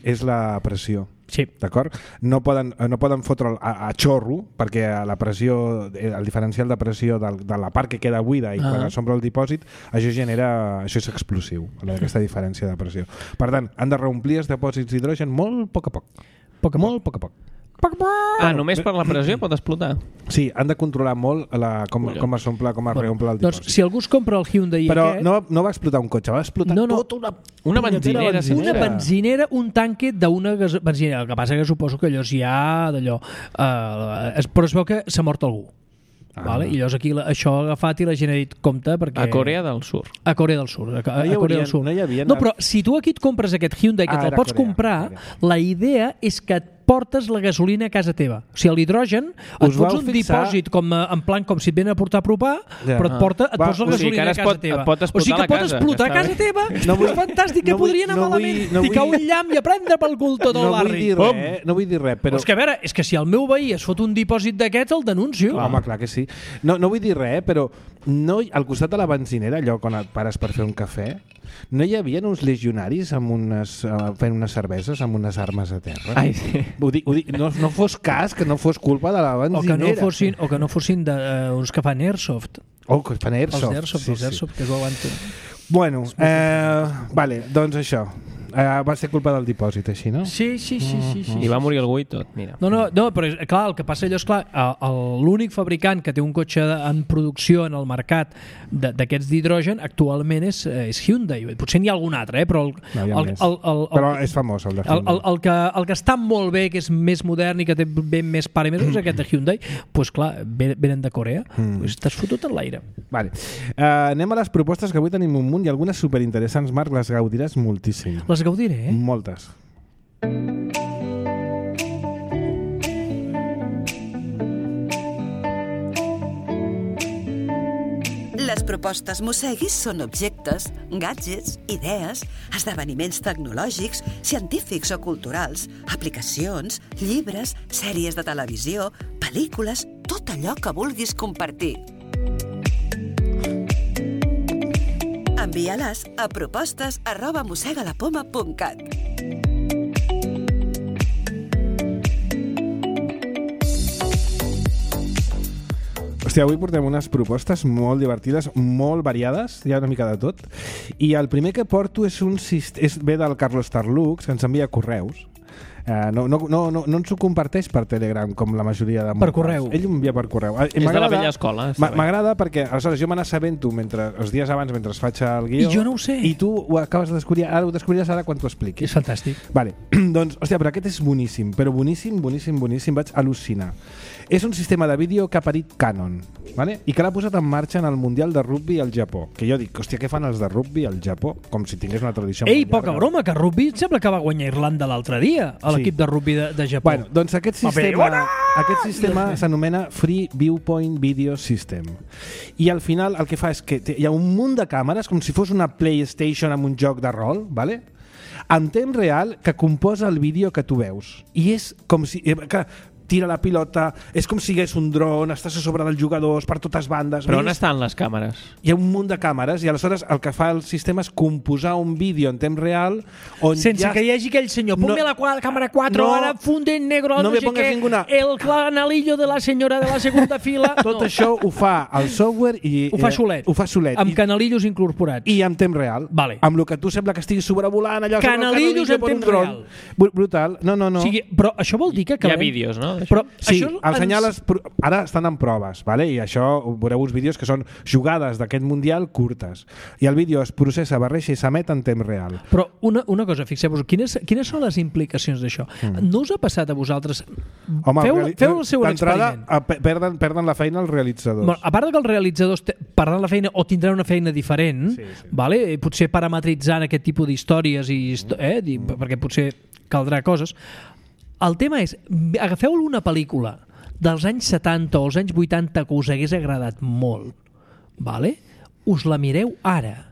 és la pressió. Sí. D'acord? No poden, no poden fotre a, a xorro perquè la pressió, el diferencial de pressió del, de la part que queda buida i ah. quan s'omple el dipòsit, això genera, això és explosiu, aquesta diferència de pressió. Per tant, han de reomplir els dipòsits d'hidrogen molt a poc a poc. Poc a molt a poc a poc. Ah, només per la pressió pot explotar? Sí, han de controlar molt la, com, com es omple, com es bueno, reomple el dipòsit. Doncs si algú es compra el Hyundai Però aquest... no, no va explotar un cotxe, va explotar no, no. tota una... Una benzinera, benzinera. Una benzinera, un tanque d'una gas... benzinera. El que passa que suposo que allò ja d'allò... Uh, però es veu que s'ha mort algú. Ah. Vale? I llavors aquí la, això ha agafat i la gent ha dit compte perquè... A Corea del Sur. A Corea del Sur. A, a, no a Corea del Sur. No, hi havia no, però si tu aquí et compres aquest Hyundai que ah, te'l pots Corea, comprar, Corea. La idea és que et portes la gasolina a casa teva. O sigui, l'hidrogen et fots un fixar... dipòsit com, en plan com si et venen a portar a apropar, ja. però et, porta, et pots la gasolina o sigui, a casa pot, teva. Pot o sigui que pot explotar a casa teva. No vull, és fantàstic, que no podria anar no malament. No vull... Ficar un llamp i a prendre pel cul tot el no barri. Vull res, no vull dir res, però... És que a veure, és que si el meu veí es fot un dipòsit d'aquests, el denuncio. Clar, home, clar que sí. No, no vull dir res, però no, al costat de la benzinera, allò quan et pares per fer un cafè, no hi havia uns legionaris amb unes, uh, fent unes cerveses amb unes armes a terra? Ai, sí. Ho dic, ho dic, no, no fos cas que no fos culpa de la benzinera. O que no fossin, o que no fossin de, uh, uns que fan airsoft. Oh, que fan airsoft. Els airsoft, sí, els airsoft, sí. Que ho aguanten. Bueno, eh, vale, doncs això. Uh, va ser culpa del dipòsit, així, no? Sí, sí, sí. sí, sí I va morir algú i tot, mira. No, no, no però clar, el que passa allò és clar, l'únic fabricant que té un cotxe en producció en el mercat d'aquests d'hidrogen actualment és, és Hyundai. Potser n'hi ha algun altre, eh? Però, el, no, el, el, el, el, però és famós el de Hyundai. El, el, el, que, el que està molt bé, que és més modern i que té ben més pare més, és aquest de Hyundai. Doncs pues, clar, venen de Corea. Mm. Pues t'has fotut en l'aire. Vale. Uh, anem a les propostes, que avui tenim un munt i algunes superinteressants, Marc, les gaudiràs moltíssim. Les gaudiré, eh? Moltes. Les propostes Mosseguis són objectes, gadgets, idees, esdeveniments tecnològics, científics o culturals, aplicacions, llibres, sèries de televisió, pel·lícules, tot allò que vulguis compartir. Envia-les a propostes arroba mossegalapoma punt cat. Hòstia, avui portem unes propostes molt divertides, molt variades, hi ha una mica de tot. I el primer que porto és un és ve del Carlos Tarlux, que ens envia correus. Uh, no, no, no, no, no ens ho comparteix per Telegram com la majoria de... Per correu. Ell ho envia per correu. És de la vella escola. M'agrada perquè aleshores jo me n'assabento mentre, els dies abans mentre es faig el guió. I jo no ho sé. I tu ho acabes de descobrir, ara ho descobriràs ara quan t'ho expliquis. És fantàstic. Vale. Doncs, hòstia, però aquest és boníssim, però boníssim, boníssim, boníssim, vaig al·lucinar. És un sistema de vídeo que ha parit Canon, vale? I que l'ha posat en marxa en el Mundial de Rugby al Japó. Que jo dic, hòstia, què fan els de rugby al Japó? Com si tingués una tradició... Ei, poca broma, que rugby sembla que va guanyar Irlanda l'altre dia, a l'equip de rugby de, de Japó. Bueno, doncs aquest sistema, aquest sistema s'anomena Free Viewpoint Video System. I al final el que fa és que hi ha un munt de càmeres, com si fos una PlayStation amb un joc de rol, vale? En temps real, que composa el vídeo que tu veus. I és com si... Que tira la pilota, és com si hi hagués un dron, estàs a sobre dels jugadors per totes bandes. Però on estan les càmeres? Hi ha un munt de càmeres i aleshores el que fa el sistema és composar un vídeo en temps real on sense ja... que hi hagi aquell senyor, ponme no, la càmera quatre, no, ara funde en negro, no, no sé què, ninguna... el canalillo de la senyora de la segunda fila... Tot no. Això ho fa el software i... Ho fa solet. Ho fa solet. Amb I, canalillos incorporats. I en temps real. Vale. Amb el que tu sembla que estiguis sobrevolant allò... Canalillos en temps real. Brutal. No, no, no. O sigui, però això vol dir que... Hi ha vídeos, no? Però sí, això els senyales... Ara estan en proves, vale? I això veureu uns vídeos que són jugades d'aquest Mundial curtes. I el vídeo es processa, barreja i s'emet en temps real. Però una, una cosa, fixeu-vos, quines, quines són les implicacions d'això? Mm. No us ha passat a vosaltres... Home, feu, feu el seu experiment. Perden, perden la feina els realitzadors. Bueno, a part que els realitzadors perdran la feina o tindran una feina diferent, sí, sí. Vale? Potser parametritzant aquest tipus d'històries, i, eh? mm. perquè potser caldrà coses. El tema és, agafeu una pel·lícula dels anys setanta o els anys vuitanta que us hagués agradat molt, vale? Us la mireu ara.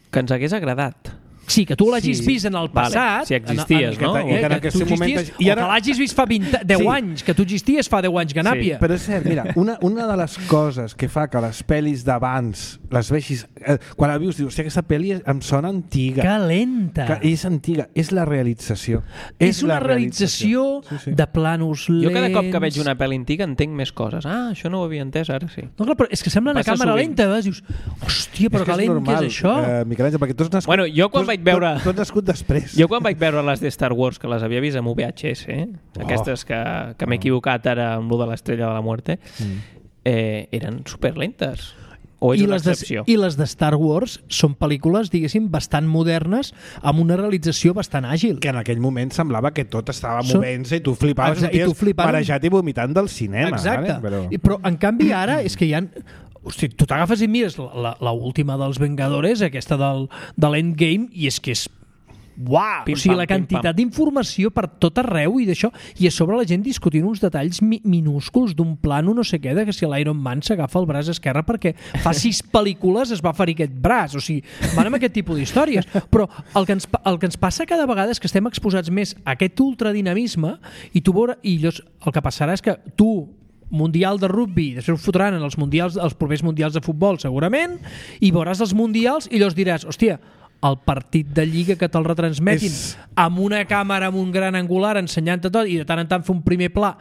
Que ens hagués agradat. Sí, que tu l'hagis sí. vist en el passat... Vale. Si existies, en, en, no? Eh, que, que, que tu existies, i ara... O que l'hagis vist fa vint, deu sí. anys, que tu existies fa deu anys, Ganàpia. Sí. Però és cert, mira, una, una de les coses que fa que les pel·lis d'abans les veixis... Eh, quan la vius, dius, hòstia, aquesta pel·li em sona antiga. Que lenta. Que és antiga, és la realització. És, és una realització, realització sí, sí. de planos lents... Jo cada cop que veig una pel·li antiga entenc més coses. Ah, això no ho havia entès, ara sí. No, clar, però és que sembla una càmera sovint. Lenta, vas, dius, hòstia, però és que, que lent que és això. Uh, Miquel Àngel, perquè tu has nascut... Bueno, jo quan vaig veure... Tu has nascut després. Jo quan vaig veure les de Star Wars, que les havia vist amb V H S, eh? oh. aquestes que, que m'he equivocat ara amb lo de l'Estrella de la Muerte, mm. eh, eren superlentes. O és I una les excepció? De, I les de Star Wars són pel·lícules, diguéssim, bastant modernes, amb una realització bastant àgil. Que en aquell moment semblava que tot estava movent-se i tu flipaves, Exacte, i tu flipant... marejat i vomitant del cinema. Exacte. Vale? Però... I, però en canvi ara és que hi ha... Hosti, tu t'agafes i mires l'última dels Vengadores, aquesta del, de l'Endgame, i és que és uau, o sigui, la quantitat d'informació per tot arreu i d'això, i a sobre la gent discutint uns detalls mi minúsculs d'un plano no sé què, de que si l'Iron Man s'agafa el braç esquerre perquè fa sis pel·lícules es va ferir aquest braç, o sigui, van amb aquest tipus d'històries, però el que, ens, el que ens passa cada vegada és que estem exposats més a aquest ultradinamisme i tu veure, i llavors el que passarà és que tu mundial de rugby, després ho fotran en els mundials, els propers mundials de futbol segurament, i veuràs els mundials i llavors diràs, hòstia, el partit de Lliga que te'l retransmetin és... amb una càmera amb un gran angular ensenyant-te tot i de tant en tant fer un primer pla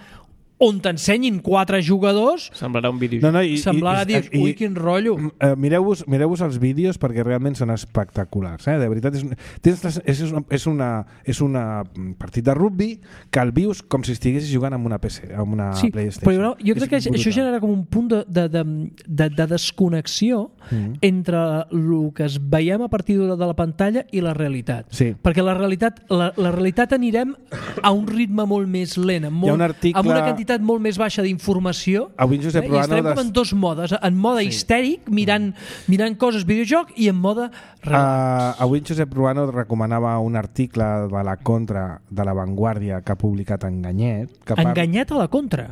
on t'ensenyin quatre jugadors, semblarà un vídeo. No, no, i, semblarà i, dir, ui, quin rotllo. Uh, Mireu-vos mireu-vos els vídeos perquè realment són espectaculars. Eh? De veritat, és, tens, és, és, una, és una partit de rugby que el vius com si estiguessis jugant amb una P C, amb una sí, PlayStation. Però jo crec és que brutal. Això genera com un punt de, de, de, de, de desconnexió mm. entre el que es veiem a partir de la pantalla i la realitat. Sí. Perquè la realitat, la, la realitat anirem a un ritme molt més lent, amb, molt, Hi ha un article... amb una quantitat molt més baixa d'informació, avui Josep eh? I estarem com en dos modes, en mode sí. histèric, mirant, mirant coses videojoc, i en mode uh, avui Josep Ruano recomanava un article de la Contra de La Vanguardia que ha publicat Enganyet. Que Enganyet a la Contra?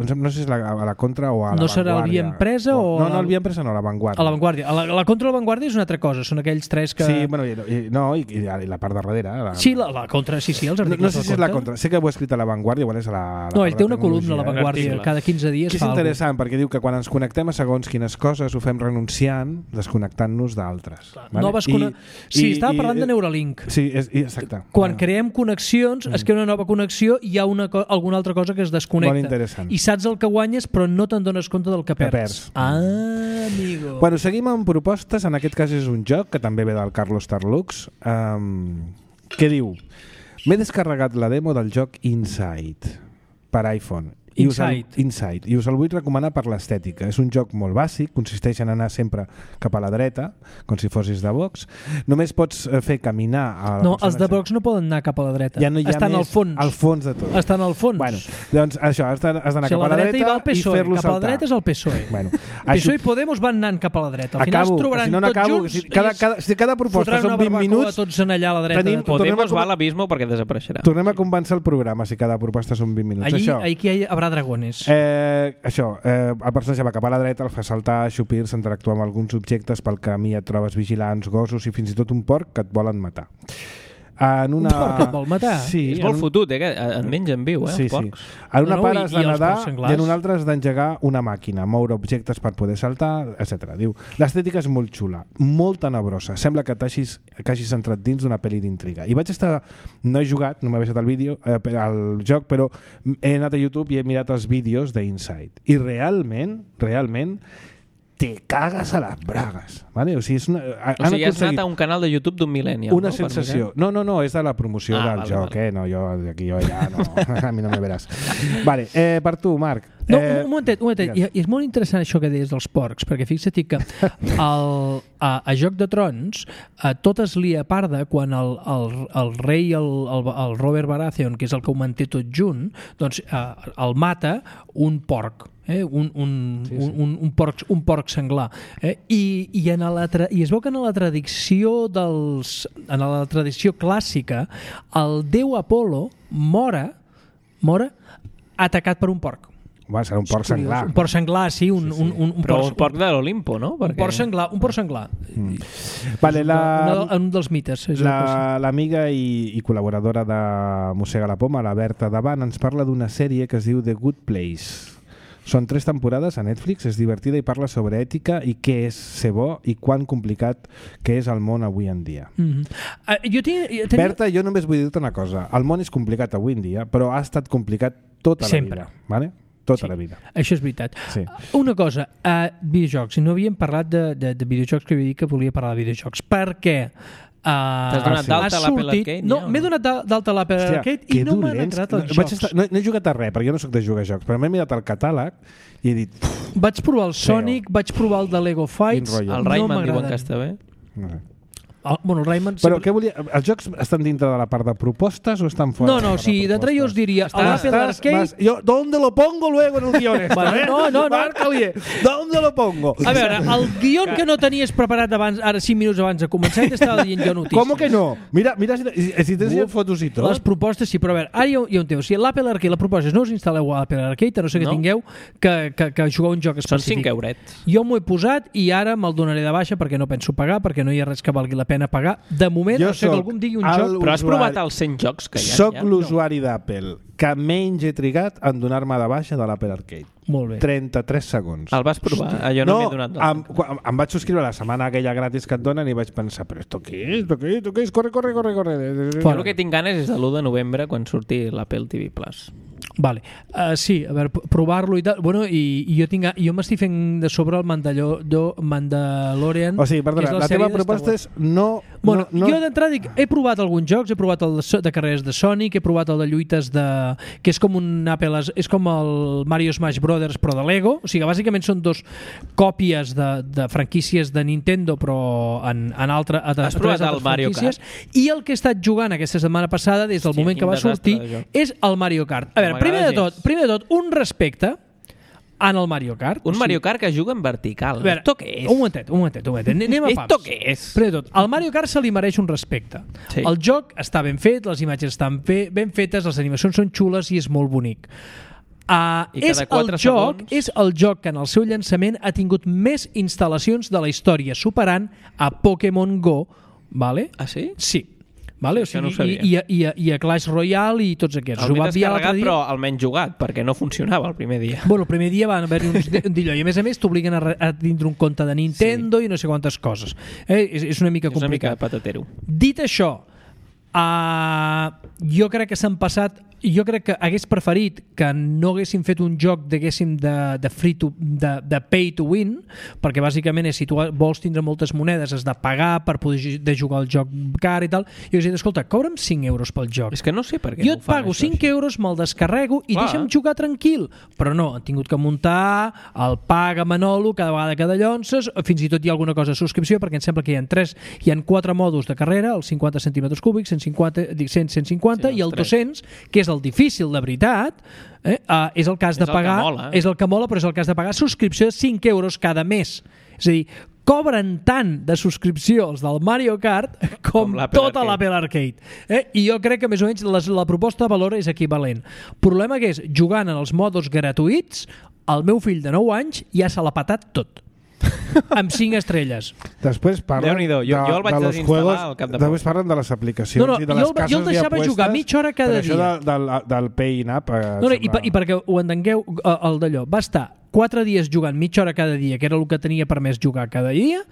No sé si és la, a la Contra o a la no Vanguardia. No serà el Via Empresa o... No, no, el Via Empresa no, a la Vanguardia. A la Vanguardia. A la, la Contra de la Vanguardia és una altra cosa, són aquells tres que... Sí, bueno, i, i, no, i, i la part de darrere. La... Sí, la, la Contra, sí, sí, els articles no, no sé si és la Contra. Sé que ho he escrit a la Vanguardia, igual és a la... la no, ell té una columna a la Vanguardia, cada quinze dies que és fa interessant, algú. Perquè diu que quan ens connectem a segons quines coses ho fem renunciant, desconnectant-nos d'altres. Vale? Noves I, cone... Sí, i, estava i, parlant de Neuralink. Sí, és, exacte. Quan ah. creem connexions, mm. es crea una nova connexió i hi ha una, alguna altra cosa que es desconnecta. Molt interessant. I saps el que guanyes, però no te'n dones compte del que perds. Que perds. Ah, amigo. Bueno, seguim amb propostes. En aquest cas és un joc que també ve del Carlos Tarlux, um, que diu: m'he descarregat la demo del joc Inside per iPhone. I us, el, Inside. I us el vull recomanar per l'estètica. És un joc molt bàsic, consisteix en anar sempre cap a la dreta, com si fossis de Vox. Només pots fer caminar... A no, els de Vox no poden anar cap a la dreta. Ja no hi ha Estan més al fons. Al fons de tot. Estan al fons. Bueno, doncs això, has d'anar si cap a la dreta, dreta i, i fer-lo saltar. Cap a la dreta és el P S O E. Bueno, P S O E i Podemos van anant cap a la dreta. Al final acabo, es trobaran si no, no tots acabo, junts si cada, cada, si cada proposta són vint minuts... tots en allà a la dreta. Tenim, Podemos va a l'abismo perquè desapareixerà. Tornem a convèncer el programa si cada proposta són vint minuts. Allí, això, aquí hi haurà dragones. Eh, això, eh, el personatge va cap a la dreta, el fa saltar, xupir-se, interactuar amb alguns objectes, pel camí et trobes vigilants, gossos i fins i tot un porc que et volen matar. En una... Un porc que et vol matar? Sí, és molt un... fotut, eh? Que en mengen viu, eh? Sí, els porcs. Sí. En una no, no, part has de nedar i en una altra has d'engegar una màquina, moure objectes per poder saltar, etcètera. Diu, l'estètica és molt xula, molt tenebrosa. Sembla que t'hagis que hagis entrat dins d'una pel·li d'intriga. I vaig estar... No he jugat, no m'he baixat el vídeo, eh, el joc, però he anat a YouTube i he mirat els vídeos d'Inside. I realment, realment, te cagues a les bragues. Vale? O sigui, és una, o sigui has anat a un canal de YouTube d'un millennial. Una no? sensació. No, no, no, és de la promoció ah, del vale, joc. Vale. Eh? No, jo aquí jo ja no. A mi no me veràs. Vale, eh, per tu, Marc. No, eh, un momentet, un momentet. I, I és molt interessant això que deies dels porcs, perquè fixa't que el, a, a Joc de Trons a tot es lia parda quan el, el, el rei, el, el, el Robert Baratheon, que és el que ho manté tot junt, doncs eh, el mata un porc. Eh? Un, un, sí, sí. Un, un, porc, un porc senglar. Eh? I, i, en la tra... I es veu que en la tradició dels... en la tradició clàssica el déu Apolo mora, mora atacat per un porc. Va, serà un porc senglar. Un porc senglar, sí. Un, sí, sí. Un, un, un Però porc, un porc de l'Olimpo, no? Perquè... Un porc senglar. Un porc senglar. Mm. Vale, la... un, un dels mites. L'amiga la, i, i col·laboradora de Mossega la Poma, la Berta Davant, ens parla d'una sèrie que es diu The Good Place. Són tres temporades a Netflix, és divertida i parla sobre ètica i què és ser bo i quan complicat que és el món avui en dia. Mm-hmm. uh, jo tinc, jo tenia... Berta, jo només vull dir-te una cosa. El món és complicat avui en dia, però ha estat complicat tota Sempre. la vida. Vale? Tota sí, la vida. Això és veritat. Sí. Una cosa, uh, videojocs. No havíem parlat de, de, de videojocs, que havia dit que volia parlar de videojocs. Per què? Uh, T'has donat d'alta a l'Apple Arcade? No, m'he donat d'alta a l'Apple Arcade i no m'han entrat els jocs. Estar, no, no he jugat a res, perquè jo no soc de jugar a jocs, però m'he mirat el catàleg i he dit... Vaig provar el Sonic, vaig provar el de Lego Fights... El Rayman no diuen que està bé. No sé. El, bueno, el Rayman... Però sempre... què volia... Els jocs estan dintre de la part de propostes o estan fora? No, no, sí, d'entre jo us diria... L'Apple Arcade... Yo, ¿dónde lo pongo luego en el guion este? Bueno, eh? no, no, no. Márcale, ¿dónde lo pongo? A veure, el guion que no tenies preparat abans, ara cinc minuts abans de començar, t'estava dient jo notícies. ¿Cómo que no? Mira, mira si, si tens Uf, fotos i tot. Les propostes, sí, però a veure, ara hi ha, hi ha un tema. Si l'Apple Arcade, la proposta és no us instal·leu a l'Apple Arcade, a no ser que no. tingueu que, que, que jugar un joc específic. Són cinc eurets. Jo m'ho he posat i ara me'l donaré de baixa perquè no penso pagar, perquè no hi ha res que valgui la pena pagar. De moment, jo no sé que algú em digui un joc... Però has provat els cent jocs que hi ha? Soc ja? l'usuari no. d'Apple que menys he trigat en donar-me de baixa de l'Apple Arcade. Molt bé. trenta-tres segons. El vas provar? Hosti. Jo no, no m'he donat de em, em, em vaig subscriure la setmana aquella gratis que et donen i vaig pensar, però esto què és? Esto què és? Esto què és? Corre, corre, corre, corre. Però el que tinc ganes és de l'u de novembre quan surti l'Apple T V Plus. Vale. Uh, sí, a veure, provar-lo i tal. Bueno, i, i jo tinc, jo m'estic fent de sobre el Mandallo, Mandalorian. O sigui, perdona, la, la teva proposta és no... Bueno, no, no... jo d'entrada dic, he provat alguns jocs, he provat el de, de carreres de Sonic, he provat el de lluites de... que és com un Apple, és com el Mario Smash Brothers però de Lego, o sigui, bàsicament són dos còpies de, de franquícies de Nintendo però en, en altre, a, Has provat el Mario Kart? I el que he estat jugant aquesta setmana passada, des del sí, moment que va sortir, és el Mario Kart. A veure, primer de tot, primer de tot, un respecte en el Mario Kart. Un Mario Kart que juga en vertical. A veure, esto què és? Un momentet, un momentet, un momentet. Anem a pams. Esto què és? Primer de tot, el Mario Kart se li mereix un respecte. Sí. El joc està ben fet, les imatges estan fe, ben fetes, les animacions són xules i és molt bonic. Uh, és, el joc, és el joc que en el seu llançament ha tingut més instal·lacions de la història, superant a Pokémon Go. Vale? Ah, sí? Sí. Vale? O sigui, no i, i, i, i a Clash Royale i tots aquests. El m'he descarregat, però almenys jugat, perquè no funcionava el primer dia. Bueno, el primer dia van haver-hi uns dilló, i a més a més t'obliguen a, a tindre un compte de Nintendo sí. i no sé quantes coses. Eh? És, és una mica complicat. És una mica patatero. Dit això, uh, jo crec que s'han passat... Jo crec que hagués preferit que no haguessin fet un joc diguéssim de, de free to, de, de pay to win, perquè bàsicament és, si tu vols tindre moltes monedes has de pagar per poder de jugar al joc car i tal, i jo he dit, escolta, cobra'm cinc euros pel joc. És que no sé per què jo no et pago això, cinc euros, me'l descarrego i Clar. deixa'm jugar tranquil. Però no, han tingut que muntar el paga Manolo cada vegada que dallonses, fins i tot hi ha alguna cosa de subscripció, perquè em sembla que hi ha tres, hi ha quatre mòduls de carrera, els cinquanta centímetres cúbics, cent cinquanta, cent, cent cinquanta sí, i el dos-cents, que és el difícil de veritat, eh, uh, és el cas de pagar, mola, eh? és el que mola, però és el cas de pagar subscripció de cinc euros cada mes. És a dir, cobren tant de subscripció els del Mario Kart com, com tota l'Apple Arcade. Eh? I jo crec que més o menys la, la proposta de valor és equivalent. El problema que és, jugant en els modos gratuïts, el meu fill de nou anys ja se l'ha patat tot. Amb cinc estrelles. Després parlen de, jo, jo el vaig de desinstal·lar al cap de poc. Després parlen de les aplicacions no, no, i de les jo, cases jo el deixava apuestes, jugar mitja hora cada per dia. Això de, del, del Pay in App eh, no, no, i, per, i perquè ho entengueu, el d'allò va estar quatre dies jugant mitja hora cada dia, que era el que tenia permès jugar cada dia,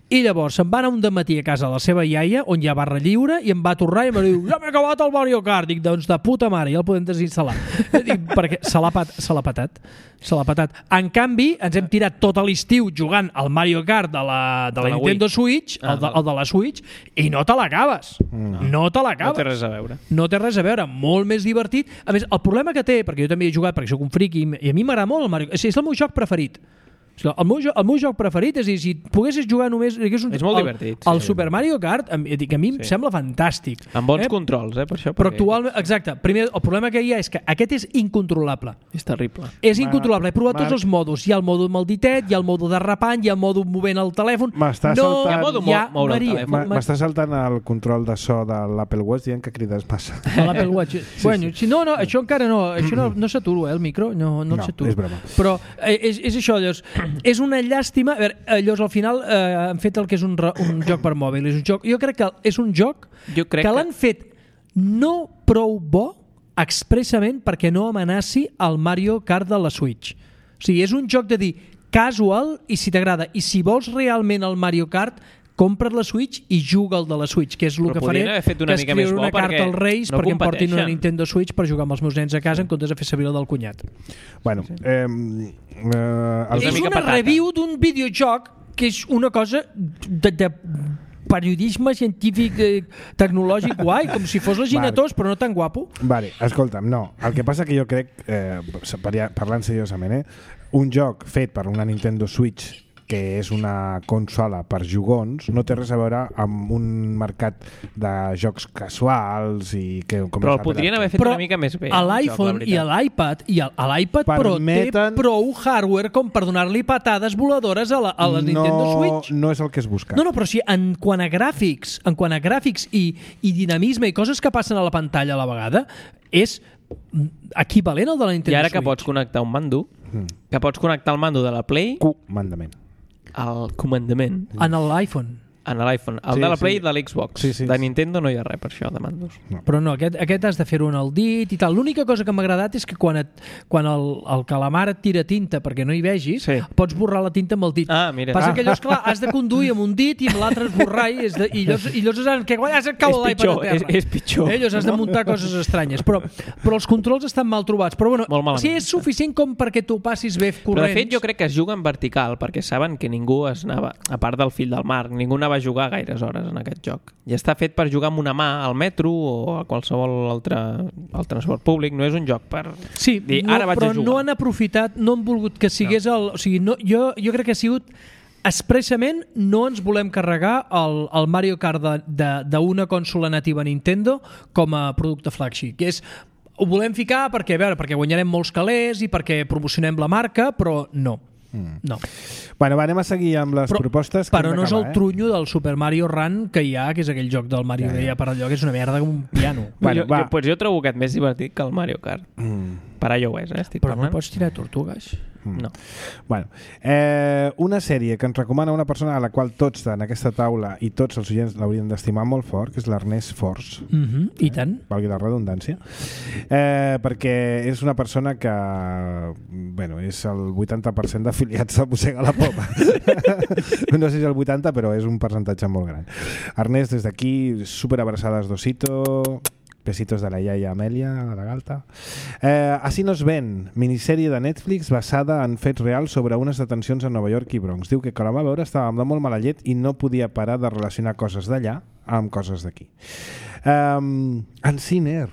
i llavors se'n va anar un dematí a casa de la seva iaia, on hi ha barra lliure, i em va tornar i em va dir, ja m'he acabat el Mario Kart. Dic, doncs de puta mare, ja el podem desinstal·lar. Dic, perquè se l'ha pat, se l'ha patat. Se l'ha patat. En canvi, ens hem tirat tot l'estiu jugant al Mario Kart de la, de la, la Nintendo Wii. Switch, el de, el de la Switch, i no te l'acabes. No. no te l'acabes. No té res a veure. No té res a veure. Molt més divertit. A més, el problema que té, perquè jo també he jugat, perquè soc un friqui, i a mi m'agrada molt el Mario Kart. És el meu joc preferit. El meu, el meu joc preferit és dir, si poguessis jugar només... És, un, és molt el, divertit. El sí. Super Mario Kart, a mi em sí. sembla fantàstic. Amb bons eh? controls, eh, per això. Però actualment, exacte, primer, el problema que hi ha és que aquest és incontrolable. És terrible. És incontrolable. He provat Marc. tots els modos. Hi ha el modo amb el ditet, hi ha el modo derrapant, hi ha el modo movent el telèfon. M'està no saltant... hi ha modo Maria. moure el telèfon. M'està saltant el control de so de l'Apple Watch dient que crides massa. L'Apple Watch. Sí, bueno, sí. No, no, això encara no. Això no, no s'aturo, eh, el micro. No, no, no és broma. Però eh, és, és això, llavors. És una llàstima. A veure, llavors al final eh, han fet el que és un, un joc per mòbil. És un joc, jo crec que és un joc jo crec que l'han fet no prou bo expressament perquè no amenaci el Mario Kart de la Switch. O sigui, és un joc de dir casual i si t'agrada. I si vols realment el Mario Kart, compra't la Switch i juga el de la Switch, que és el però que faré, que escriure una carta als Reis no perquè em portin una competeixen. Nintendo Switch per jugar amb els meus nens a casa en comptes de fer servir el del cunyat. Bueno, eh, eh, és una, una review d'un videojoc que és una cosa de, de periodisme científic eh, tecnològic guai, com si fos la Ginatós, vale. Però no tan guapo. Vale, escolta'm, no. El que passa que jo crec, eh, parlant seriosament, eh, un joc fet per una Nintendo Switch que és una consola per jugons, no té res a veure amb un mercat de jocs casuals i que... Com però el podrien haver fet però una mica més bé. A l'iPhone i a l'iPad i a l'iPad Permeten... Pro té prou hardware com per donar-li patades voladores a la, a la no, Nintendo Switch. No és el que es busca. No, no, però sí, en quant a gràfics, en quant a gràfics i, i dinamisme i coses que passen a la pantalla a la vegada, és equivalent al de la Nintendo Switch. I ara que pots connectar un mando, mm. que pots connectar el mando de la Play... Comandament. Al comandament. En l'iPhone. En l'iPhone. El sí, de la Play sí. i de l'Xbox. Sí, sí. De Nintendo no hi ha res per això, de mandos. No. Però no, aquest, aquest has de fer-ho en el dit i tal. L'única cosa que m'ha agradat és que quan, et, quan el, el calamar et tira tinta perquè no hi vegis, sí. pots borrar la tinta amb el dit. Ah, mira. Passa ah. que llavors, clar, has de conduir amb un dit i amb l'altre esborrar i, de, i llavors, i llavors has, que has de caure l'iPad a terra. És, és pitjor. Eh, llavors has de muntar coses estranyes. Però, però els controls estan mal trobats. Però bueno, si és suficient com perquè tu passis bé corrents... Però de fet jo crec que es juga en vertical perquè saben que ningú es anava, a part del fill del Marc, ningú anava a jugar gaires hores en aquest joc. I està fet per jugar amb una mà al metro o a qualsevol altre el transport públic, no és un joc per sí, dir, no, ara vaig però a jugar. No han aprofitat, no han volgut que sigués no. el... O sigui, no, jo, jo crec que ha sigut expressament no ens volem carregar el, el Mario Kart d'una consola nativa Nintendo com a producte flagship, que és ho volem ficar perquè, a veure, perquè guanyarem molts calés i perquè promocionem la marca, però no. Mm. No. Bueno, va, anem a seguir amb les però, propostes. Però no és el eh? trunyo del Super Mario Run que hi ha, que és aquell joc del Mario ja, ja. Deia per allò, que és una merda com un piano. Bueno, jo, jo, pues jo trobo aquest més divertit que el Mario Kart. Mm. Per iOS, eh? Estic però parlant. No pots tirar tortugues. Mm. No. Bueno, eh, una sèrie que ens recomana una persona a la qual tots en aquesta taula i tots els oients l'haurien d'estimar molt fort, que és l'Ernest Force. Mm -hmm. I tant. Eh? Valgui la redundància. Eh, perquè és una persona que bueno, és el vuitanta per cent d'afiliats a Mossega la Poma. No sé si el vuitanta, però és un percentatge molt gran. Ernest, des d'aquí, super abraçades d'Osito... Besitos de la iaia Amèlia, de la Galta. Eh, Así nos ven, minissèrie de Netflix basada en fets reals sobre unes detencions a Nova York i Bronx. Diu que quan la va veure estava amb molt mala llet i no podia parar de relacionar coses d'allà amb coses d'aquí. Um, en Sinner,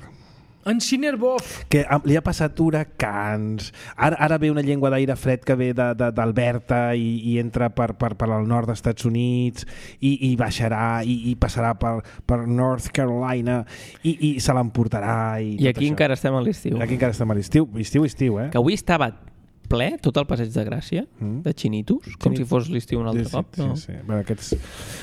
en Sinner Boff, que li ha passat huracans, ara, ara ve una llengua d'aire fred que ve d'Alberta i, i entra per, per, per al nord dels Estats Units i, i baixarà i, i passarà per, per North Carolina i, i se l'emportarà i, I aquí això. Encara estem a l'estiu. Aquí encara estem a l'estiu, estiu, estiu, eh? Que avui estava ple tot el passeig de Gràcia mm. de xinitos, com Xinit. Si fos l'estiu un altre sí, cop. Sí, no? sí, sí. Bueno, aquests...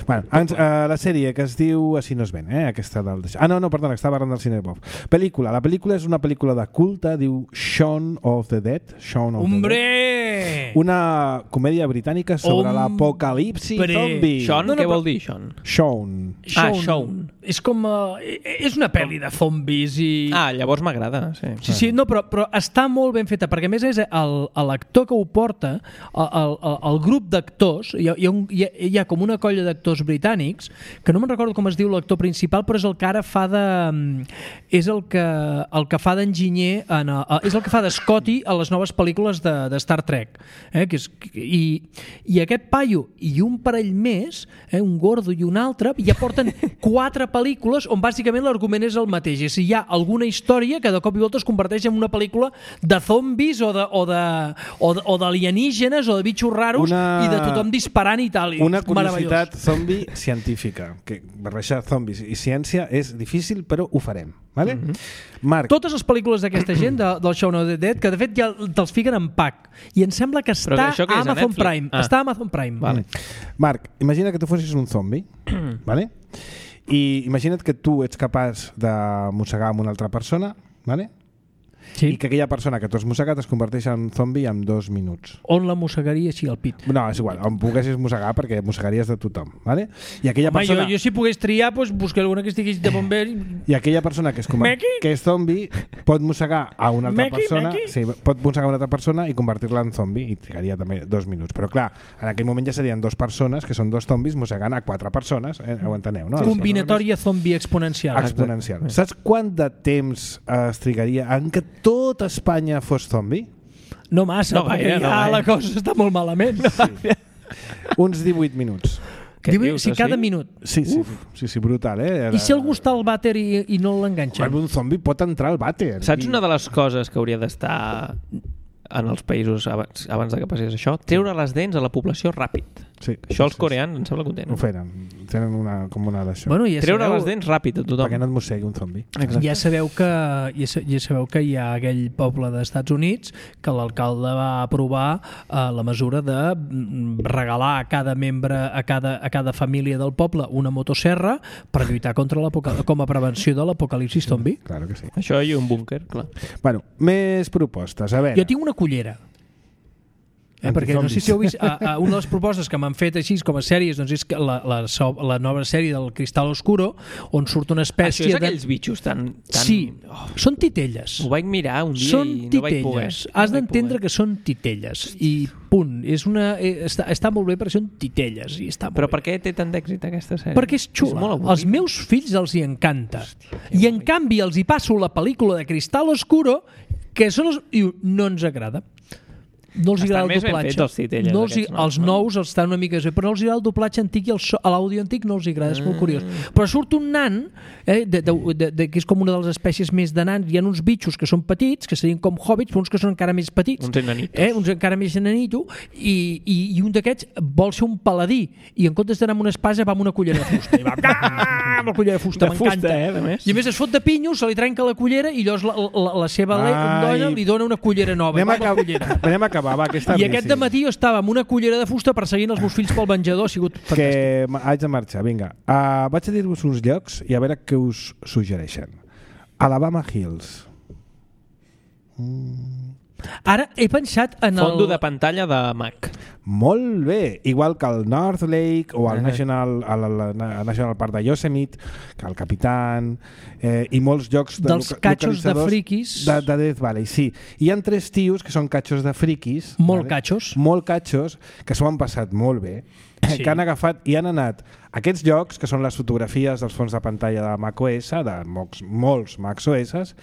bueno, ens, uh, la sèrie que es diu Así nos ven, eh? Aquesta del... Ah, no, no, perdona, estava parlant del Cinebof. Pel·lícula. La pel·lícula és una pel·lícula de culte, diu Shaun of the Dead. Shaun of Hombre! the Dead. Una comèdia britànica sobre l'apocalipsi zombi. Shaun, no, no, què però... vol dir, Shaun? Shaun. Ah, Shaun. És com... Uh, és una pel·li de zombis i... Ah, llavors m'agrada, sí. Sí, sí, no, però, però està molt ben feta, perquè a més és l'actor que ho porta, el, el, el grup d'actors, hi, hi, ha un, hi, ha, hi ha com una colla d'actors britànics, que no me'n recordo com es diu l'actor principal, però és el que ara fa de... és el que, el que fa d'enginyer, en, és el que fa de Scotty a les noves pel·lícules de, de Star Trek. Eh? Que és, i, I aquest paio i un parell més, eh? un gordo i un altre, ja porten quatre pel·lícules on bàsicament l'argument és el mateix. És si hi ha alguna història que de cop i volta es converteix en una pel·lícula de zombis o de, o de, o de, o d'alienígenes o de bitxos raros una... i de tothom disparant i tal. I una curiositat zombi científica, que barrejar zombis i ciència és difícil, però ho farem. Vale? Mm -hmm. Marc. Totes les pel·lícules d'aquesta gent de, del Shaun of the Dead, que de fet ja te'ls fiquen en pack, i em sembla que està que a Amazon a Prime. Ah. Està a Amazon Prime. Vale. Marc, imagina que tu fossis un zombi, vale? I imagina't que tu ets capaç de mossegar amb una altra persona, vale? Sí. I que aquella persona que tu has mossegat es converteix en zombi en dos minuts. On la mossegaria així al pit? No, és igual, on poguessis mossegar perquè mossegaries de tothom, ¿vale? I aquella Home, persona... jo, jo si pogués triar, pues, buscaré alguna que estigui de bomber... I aquella persona que és, com... que és zombi pot mossegar a una altra Meki, persona Meki. sí, pot mossegar a una altra persona i convertir-la en zombi i trigaria també dos minuts. Però clar, en aquell moment ja serien dos persones que són dos zombis mossegant a quatre persones, eh? Ho enteneu, no? Combinatòria zombi exponencial. Exponencial. Saps quant de temps es trigaria en que tot Espanya fos zombi? No massa, no perquè gaire, ja no, la cosa està molt malament. Sí. Uns divuit minuts. divuit, si cada minut. Sí, sí, sí, sí, brutal, eh? I si algú està al vàter i, i no l'enganxa? Un zombi pot entrar al vàter. Saps I... una de les coses que hauria d'estar en els països abans, abans de que passés això, treure les dents a la població ràpid. Sí, això els sí, coreans em sembla que ho tenen. Ho feren, tenen una, com una d'això. Bueno, ja treure sabeu, les dents ràpid a tothom. Perquè no et mossegui un zombi. Exacte. Ja sabeu que ja, ja sabeu que hi ha aquell poble dels Estats Units que l'alcalde va aprovar eh, la mesura de regalar a cada membre, a cada, a cada família del poble una motosserra per lluitar contra com a prevenció de l'apocalipsi zombi. Claro que sí. Això i un búnquer, clar. Bueno, més propostes. A veure. Jo tinc una cullera. Eh, perquè no sé si heu vist a, a una de les propostes que m'han fet així com a sèries, doncs és que la, la, la nova sèrie del Cristal Oscuro, on surt una espècie això és de... aquells bitxos tan... tan... Sí, oh, són titelles. Ho vaig mirar un dia són i no vaig poder. Has no d'entendre que són titelles i punt. És una, eh, està, està molt bé perquè són titelles. I està Però bé. per què té tant d'èxit aquesta sèrie? Perquè és xula. És als meus fills els hi encanta. Hòstia, I en canvi els hi passo la pel·lícula de Cristal Oscuro que són els... i no ens agrada. No els agrada el doblatge. Els, titelles, no els, aquests, els no? nous els estan una mica bé, però no els agrada el doblatge antic i l'àudio antic no els agrada, és molt curiós. Però surt un nan, eh, de, de, de, de, que és com una de les espècies més de nans, hi ha uns bitxos que són petits, que serien com hobbits, però uns que són encara més petits. Uns enanitos. Eh, uns encara més enanitos, i, i, i un d'aquests vol ser un paladí, i en comptes d'anar amb una espasa va amb una cullera de fusta. I va amb la cullera de fusta, m'encanta. Eh, a més. I a més es fot de pinyo, se li trenca la cullera i llavors la, la, la seva dona li dona una cullera nova. Anem a, cullera. Anem a acabar, va, aquesta I aquest dematí jo estava amb una cullera de fusta perseguint els meus fills pel menjador, ha sigut fantàstic. Que haig de marxar, vinga. Uh, vaig a dir-vos uns llocs i a veure què us suggereixen. Alabama Hills. Mm. Ara he pensat en el... Fondo de pantalla de Mac. Molt bé, igual que el North Lake o el uh-huh. National, el, el, el National Park de Yosemite, que el Capitán, eh, i molts llocs de dels catxos de friquis de, de Death Valley, sí. Hi ha tres tios que són catxos de friquis, molt vale? catxos, molt catxos, que s'ho han passat molt bé, sí. que han agafat i han anat a aquests llocs, que són les fotografies dels fons de pantalla de macOS, de molts, molts macOS,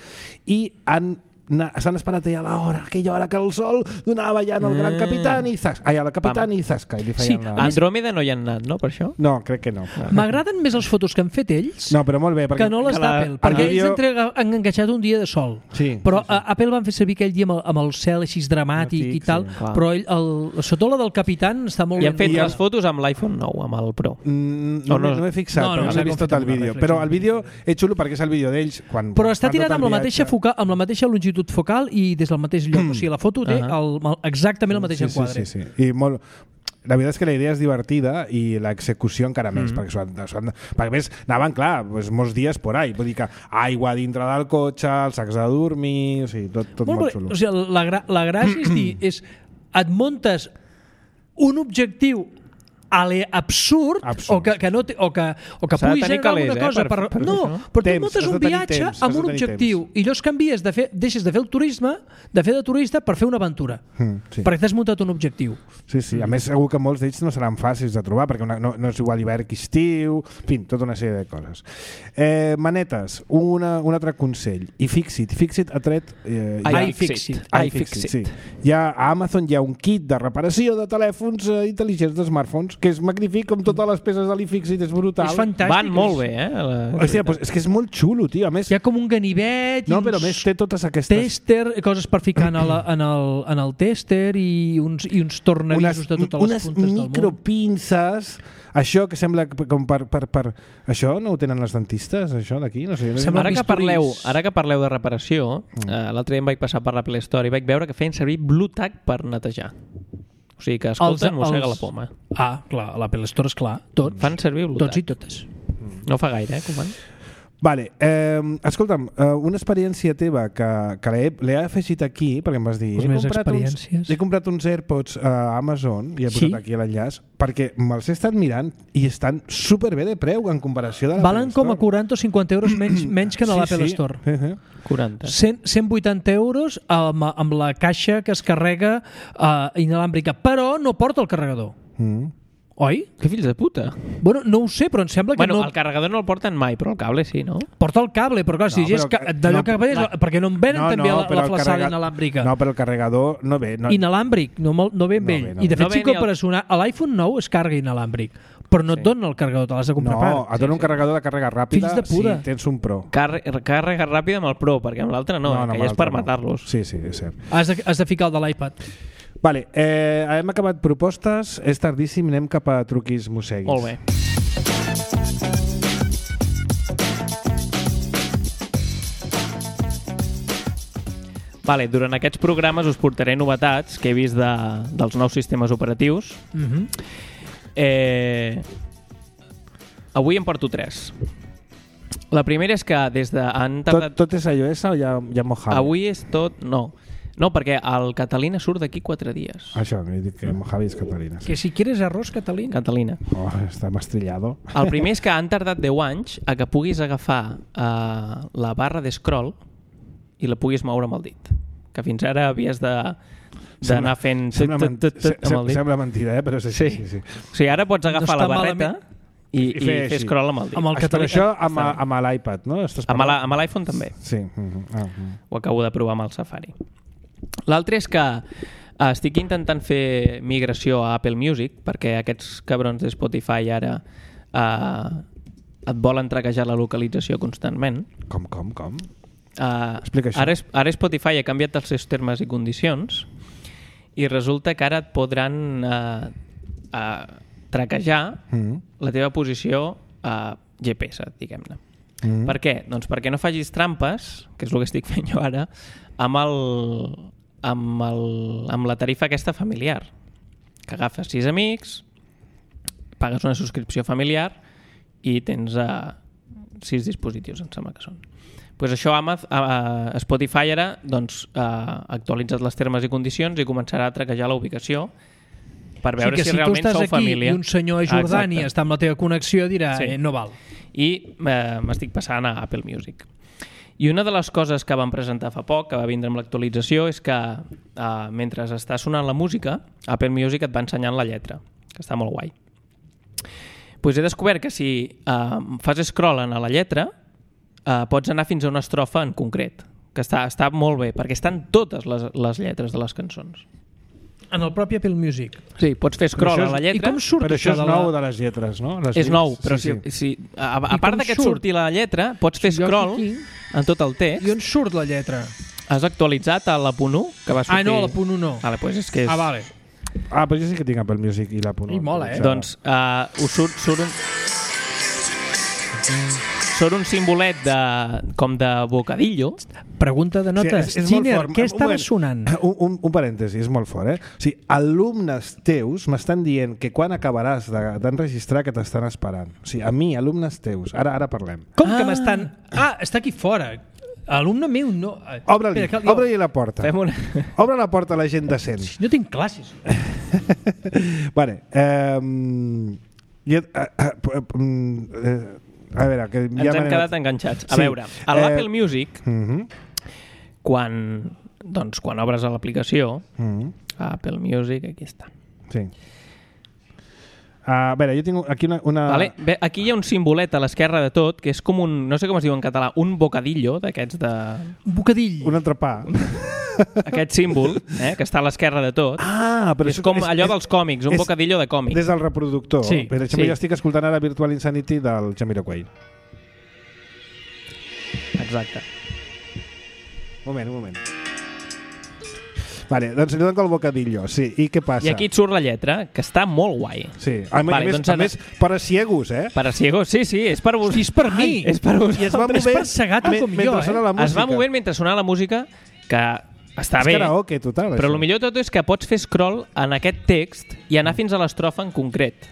i han s'han esperat allà a l'hora, aquella hora que el sol donava ja en el gran capitán i zasca, allà la capitán i zasca. I sí, la... Andròmeda no hi han anat, no, per això? No, crec que no. M'agraden més les fotos que han fet ells no, però molt bé, perquè... que no les d'Apple, perquè vídeo... ells entrega, han enganxat un dia de sol. Sí, però sí, sí. Apple van fer servir aquell dia amb el, amb el cel així dramàtic no, i tal, sí, però ell, el, sota la del capitán està molt I han fet ben... les fotos amb l'iPhone nou, amb el Pro. Mm, no, no, no m'he fixat, no, no, però no he vist tot el vídeo. Però el vídeo és xulo perquè és el vídeo d'ells. Quan, però està tirat amb la mateixa focal, amb la mateixa longitud focal i des del mateix lloc, o sigui, la foto té el, exactament el mateix sí, enquadre. Sí, sí, sí. I molt... La veritat és que la idea és divertida i l'execució encara més, mm. perquè, s'ho han, s'ho han, perquè més anaven, clar, pues, molts dies por ahí, vull dir que aigua dintre del cotxe, els sacs de dormir, o sigui, tot, tot molt, molt xulo. O sigui, la, gra la gràcia és dir, és, et muntes un objectiu ale absurd, absurd. o que, que no té, o que, o que pugui generar alguna eh, cosa per, per, per no, però tu muntes un viatge temps, amb un objectiu temps. I llavors canvies de fer, deixes de fer el turisme de fer de turista per fer una aventura mm, sí. perquè t'has muntat un objectiu. Sí, sí, a més segur que molts d'ells no seran fàcils de trobar perquè una, no, no és igual hivern que estiu, en fi, tota una sèrie de coses. Eh, manetes, una, un altre consell, i Fixit, Fixit ha tret eh, iFixit, iFixit, sí. Ja a Amazon hi ha un kit de reparació de telèfons eh, intel·ligents de smartphones que és magnífic, com totes les peces de l'iFixit, és brutal. És fantàstic. Van molt bé, eh? La... Hòstia, pues és que és molt xulo, tio. A més, hi ha com un ganivet no, però a més té totes aquestes... Tester, coses per ficar en el, en el, en el tester i uns, i uns tornavisos de totes les puntes del món. Unes micropinces, això que sembla com per, per, per... Això no ho tenen les dentistes, això d'aquí? No sé, no ara, que parleu, ara que parleu de reparació, mm. eh, l'altre dia em vaig passar per la Play Store i vaig veure que feien servir BlueTack per netejar. O sigui que, escolta, mossega els... la poma. Ah, clar, a l'Apple Store, esclar. Tots. Fan servir BlueTack. Tots i totes. No fa gaire, eh, com van? Vale, eh, escolta'm, eh, una experiència teva que, que l'he afegit aquí, perquè em vas dir... Les meves experiències. Uns, he comprat uns AirPods a Amazon i he posat sí? aquí l'enllaç, perquè me'ls he estat mirant i estan superbé de preu en comparació de l'Apple Valen com a quaranta o cinquanta euros menys, menys que a sí, l'Apple sí. Store. Uh-huh. quaranta. cent, cent vuitanta euros amb, amb la caixa que es carrega uh, inalàmbrica, però no porta el carregador. Mm. Oi? Que fills de puta. Bueno, no ho sé, però em sembla que bueno, no... el carregador no el porten mai, però el cable sí, no? Porta el cable, però clar, si no, és que, d'allò no, que veus, la... perquè no em venen no, també no, la, la flaçada carrega... inalàmbrica. No, però el carregador no ve. No... Inalàmbric, no, no ve amb no ell. Ve, no I de fet, no si compres el... una... l'iPhone nou es carga inalàmbric, Però no et dona el carregador, te l'has de comprar no, a part. No, et dona sí, un carregador de càrrega ràpida si tens un Pro. Car càrrega ràpida amb el Pro, perquè amb l'altre no, no, no, que ja és per no. matar-los. Sí, sí, és cert. Has de, has de ficar el de l'iPad. Vale, eh, hem acabat propostes, és tardíssim, anem cap a truquis mosseguis. Molt bé. Vale, durant aquests programes us portaré novetats que he vist de, dels nous sistemes operatius. Mm-hmm. eh, avui en porto tres. La primera és que des de... Han tardat... tot, tot és iOS o ja, ja Mojave? Avui és tot... No, no perquè el Catalina surt d'aquí quatre dies. Això, he dit que Mojave és Catalina. Sí. Que si quieres arroz, Catalina. Catalina. Oh, està mastrillado. El primer és que han tardat deu anys a que puguis agafar uh, la barra de scroll i la puguis moure amb el dit. Que fins ara havies de d'anar fent... Sembla, tot, tot, tot, tot, sembla, sembla mentida, eh? Però és així. Sí. Sí, sí. O sigui, ara pots agafar no la barreta i, i, i fer scroll amb el dit. Amb el Però això amb, amb l'iPad, no? Amb l'iPhone també. Sí. Uh-huh. Uh-huh. Ho acabo de provar amb el Safari. L'altre és que uh, estic intentant fer migració a Apple Music perquè aquests cabrons de Spotify ara uh, et volen traquejar la localització constantment. Com, com, com? Uh, ara, ara Spotify ha canviat els seus termes i condicions i resulta que ara et podran uh, uh, traquejar mm. la teva posició uh, G P S, diguem-ne. Mm. Per què? Doncs perquè no facis trampes, que és el que estic fent jo ara, amb, el, amb, el, amb la tarifa aquesta familiar, que agafes sis amics, pagues una subscripció familiar i tens uh, sis dispositius, em sembla que són. Pues això Amaz, uh, Spotify ara doncs, uh, actualitzat les termes i condicions i començarà a traquejar la ubicació per veure sí, si, si realment sou família. Si tu estàs aquí i un senyor a Jordània ah, està amb la teva connexió dirà sí. eh, no val. I uh, m'estic passant a Apple Music. I una de les coses que van presentar fa poc, que va vindre amb l'actualització, és que uh, mentre està sonant la música, Apple Music et va ensenyant la lletra, que està molt guai. Pues he descobert que si uh, fas scroll a la lletra Uh, pots anar fins a una estrofa en concret, que està, està molt bé, perquè estan totes les, les lletres de les cançons. En el propi Apple Music? Sí, pots fer scroll és, a la lletra. I com surt però això és de nou la... de les lletres, no? Les és nou, però sí, sí. Si, si, a, a part que et surti la lletra, pots fer scroll aquí, en tot el text. I on surt la lletra? Has actualitzat a la punt u? Que va sortir... Ah, no, a la punt u no. Vale, pues és que és... Ah, vale. Ah, però jo sí que tinc Apple Music i la punt u. I mola, eh? Doncs uh, us surt, surt un... Surt un simbolet de, com de bocadillo. Pregunta de notes. Sí, és, és Giner, què estava un sonant? Un, un, un parèntesi, és molt fort, eh? O sigui, alumnes teus m'estan dient que quan acabaràs d'enregistrar que t'estan esperant. O sigui, a mi, alumnes teus. Ara ara parlem. Com ah. que m'estan... Ah, està aquí fora. Alumne meu no... Obre-li jo... obre la porta. Una... Obre la porta a la gent decent. No tinc classes. Vale. Um... Jo, uh, uh, uh, a veure, que ja ens hem quedat enganxats. A sí. veure, a l'Apple eh... Music, uh-huh. quan, doncs, quan obres a l'aplicació, uh-huh. Apple Music, aquí està. Sí. Uh, a veure, jo tinc aquí una... una... Vale. Bé, aquí hi ha un simbolet a l'esquerra de tot, que és com un, no sé com es diu en català, un bocadillo d'aquests de... Un bocadill. Un entrepà. Aquest símbol, eh, que està a l'esquerra de tot, ah, però és com és, allò dels còmics, un és, bocadillo de còmics. Des del reproductor. Sí, per exemple, sí. Jo estic escoltant ara Virtual Insanity del Jamiroquai. Exacte. Un moment, un moment. Vale, doncs li dono el bocadillo, sí. I què passa? I aquí et surt la lletra, que està molt guai. Sí. A, vale, a, més, doncs a més, per a ciegos, eh? Per a ciegos, sí, sí, és per vos... Sí, és per mi. Ai, és per vosaltres. I es va movent, és per segat com jo, eh? Es va movent mentre sonava la música, que està és bé, karaoke, total, però això. El millor de tot és que pots fer scroll en aquest text i anar fins a l'estrofa en concret,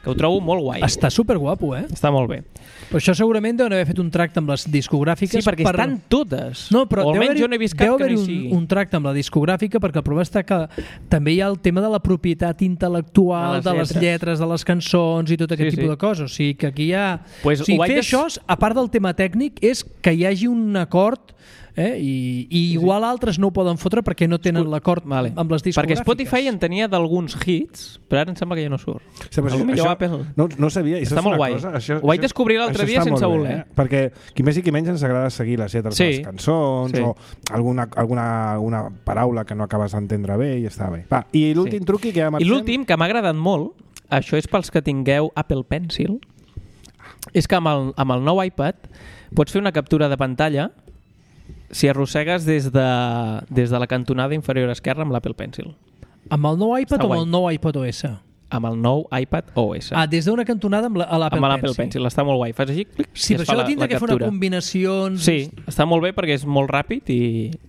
que ho trobo molt guai. Està superguapo, eh? Està molt bé. Però això segurament deuen haver fet un tracte amb les discogràfiques. Sí, perquè per... estan totes. No, però o almenys jo no he vist cap que no hi un, sigui. un tracte amb la discogràfica, perquè el problema està que també hi ha el tema de la propietat intel·lectual, de les, de les lletres, de les cançons i tot aquest sí, tipus sí. de coses. O sigui, que aquí hi ha... Pues o sigui, fer des... això, a part del tema tècnic, és que hi hagi un acord... Eh? I, i igual sí. altres no ho poden fotre perquè no tenen l'acord vale. amb les discogràfiques. Perquè Spotify en tenia d'alguns hits, però ara em sembla que ja no surt. Sí, però això, això, Apple... no, no sabia. Està molt guai. Cosa, això, ho vaig descobrir l'altre dia sense voler. Eh? Perquè qui més i qui menys ens agrada seguir les lletres sí. de les cançons sí. o alguna, alguna una paraula que no acabes d'entendre bé i està bé. Va, i l'últim sí. truqui que ja marxem... I l'últim, que m'ha agradat molt, això és pels que tingueu Apple Pencil, és que amb el, amb el nou iPad pots fer una captura de pantalla si arrossegues des de, des de la cantonada inferior esquerra amb l'Apple Pencil. Amb el nou iPad Està o amb guai. el nou iPad O S? Amb el nou iPad O S. Ah, des d'una cantonada amb l'Apple Pencil. Amb l'Apple Pencil, està molt guai. Fas així, clic, sí, i es però fa això tindrà que fer una combinacions... Sí, està molt bé perquè és molt ràpid i,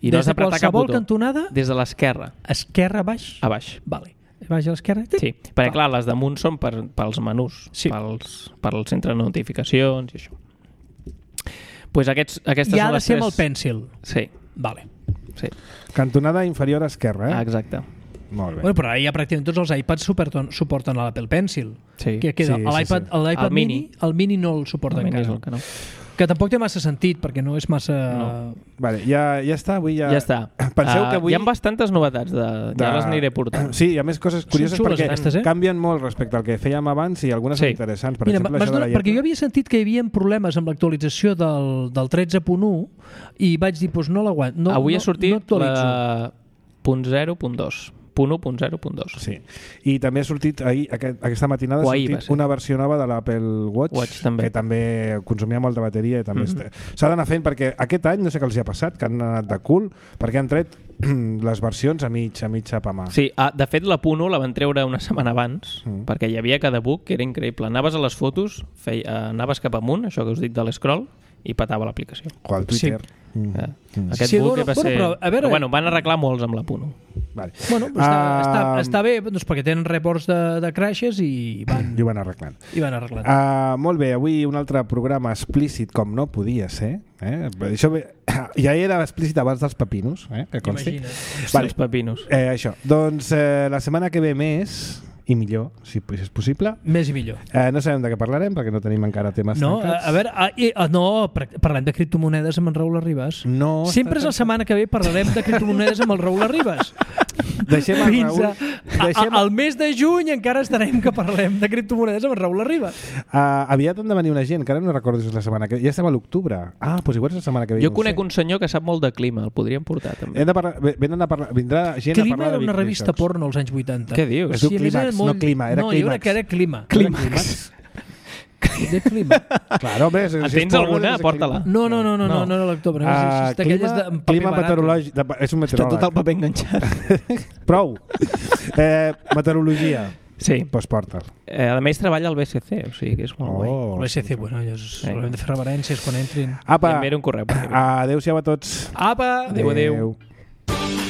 i no has d'apretar cap botó. Des de qualsevol cantonada? Des de l'esquerra. Esquerra a baix? A baix. Vale. Baix a l'esquerra? Sí, perquè clar, les damunt són per, pels menús, sí. pels, per al centre de notificacions i això. Pues aquests, aquestes I ha són de les ser tres... amb el Pencil. Sí. Vale. Sí. Cantonada inferior esquerra, eh? Ah, exacte. Molt bé. Bueno, però ara ja pràcticament tots els iPads suporten, suporten l'Apple Pencil. Sí. Que queda Sí, l'iPad sí, sí. l'iPad El mini, mini. el mini no el suporta el encara. El que, no. que tampoc té massa sentit, perquè no és massa... No. Vale, ja, ja està, avui ja... Ja està. Penseu uh, que avui... Hi ha bastantes novetats, de... de... ja les aniré portant. Sí, hi ha més coses curioses xules, perquè aquestes, eh? canvien molt respecte al que fèiem abans i algunes Sí. són interessants. Per Mira, exemple, això de la donar, perquè jo havia sentit que hi havia problemes amb l'actualització del, del tretze punt u i vaig dir, doncs no l'aguanto. No, Avui no, ha sortit no la punt zero punt dos. punt u punt zero punt dos. Sí. I també ha sortit ahir, aquest, aquesta matinada ha ahir sortit una versió nova de l'Apple Watch, Watch també. que també consumia molta bateria i també Mm-hmm. mm-hmm. s'ha d'anar fent perquè aquest any no sé què els hi ha passat, que han anat de cul perquè han tret les versions a mig a mig apamar. Sí, ah, de fet la punt u la van treure una setmana abans Mm. perquè hi havia cada book que era increïble. Anaves a les fotos, feia, eh, anaves cap amunt, això que us dic de l'escroll, i patava l'aplicació. O al Twitter. Sí. Mm. Eh, Mm. Aquest Sí, book bueno, va bueno, ser... però, a veure- Però, bueno, van arreglar molts amb la punt u. Vale. Bueno, però està, Ah, està, està bé, doncs perquè tenen reports de, de crashes i van, I ho van arreglant. i van arreglant. Uh, molt bé, avui un altre programa explícit com no podia ser. Eh? Això bé, ja era explícit abans dels pepinos, eh? que consti. Imagina't. Vale. Els pepinos. Eh, això. Doncs eh, la setmana que ve més i millor, si és possible. Més i millor. Eh, no sabem de què parlarem perquè no tenim encara temes No, a, tancats. a veure, a, i, a, no, par- parlem de criptomonedes amb en Raül Arribas. No Sempre és està la setmana que ve parlarem de criptomonedes amb el Raül Arribas. Deixem el Fins Raül... a, Deixem... a, al mes de juny encara estarem que parlem de criptomonedes amb en Raül Arribas. Uh, aviat han de venir una gent, que ara no recordo si és la setmana que ve. Ja estem a l'octubre. Ah, doncs igual és la setmana que ve. Jo no ho conec sé. un senyor que sap molt de clima, el podríem portar també. Hem de parlar, venen a parlar, vindrà gent a Clima parlar era de una Big revista Research. porno als anys vuitanta. Què dius? Es diu a més Clímax, era molt- no Clima, era no, jo crec Clímax. que era Clima. Clímax. De clima. Claro, hombre, si En és tens porno, alguna? és Porta-la. No, no, no, no, no, No. no era l'octubre. No, Uh, és d'aquelles clima, de en paper clima barat. meteorològic. De, és un Està tot el meteoròleg. paper enganxat. Prou. Eh, meteorologia. Sí. Doncs porta'l. Eh, a més treballa al B S C, o sigui que és molt guai. Oh. El B S C, bueno, ja és, haurem de fer reverències quan entrin. I Apa, enviaré un correu. adéu-siau a tots. Apa! Adéu, adéu. Adéu.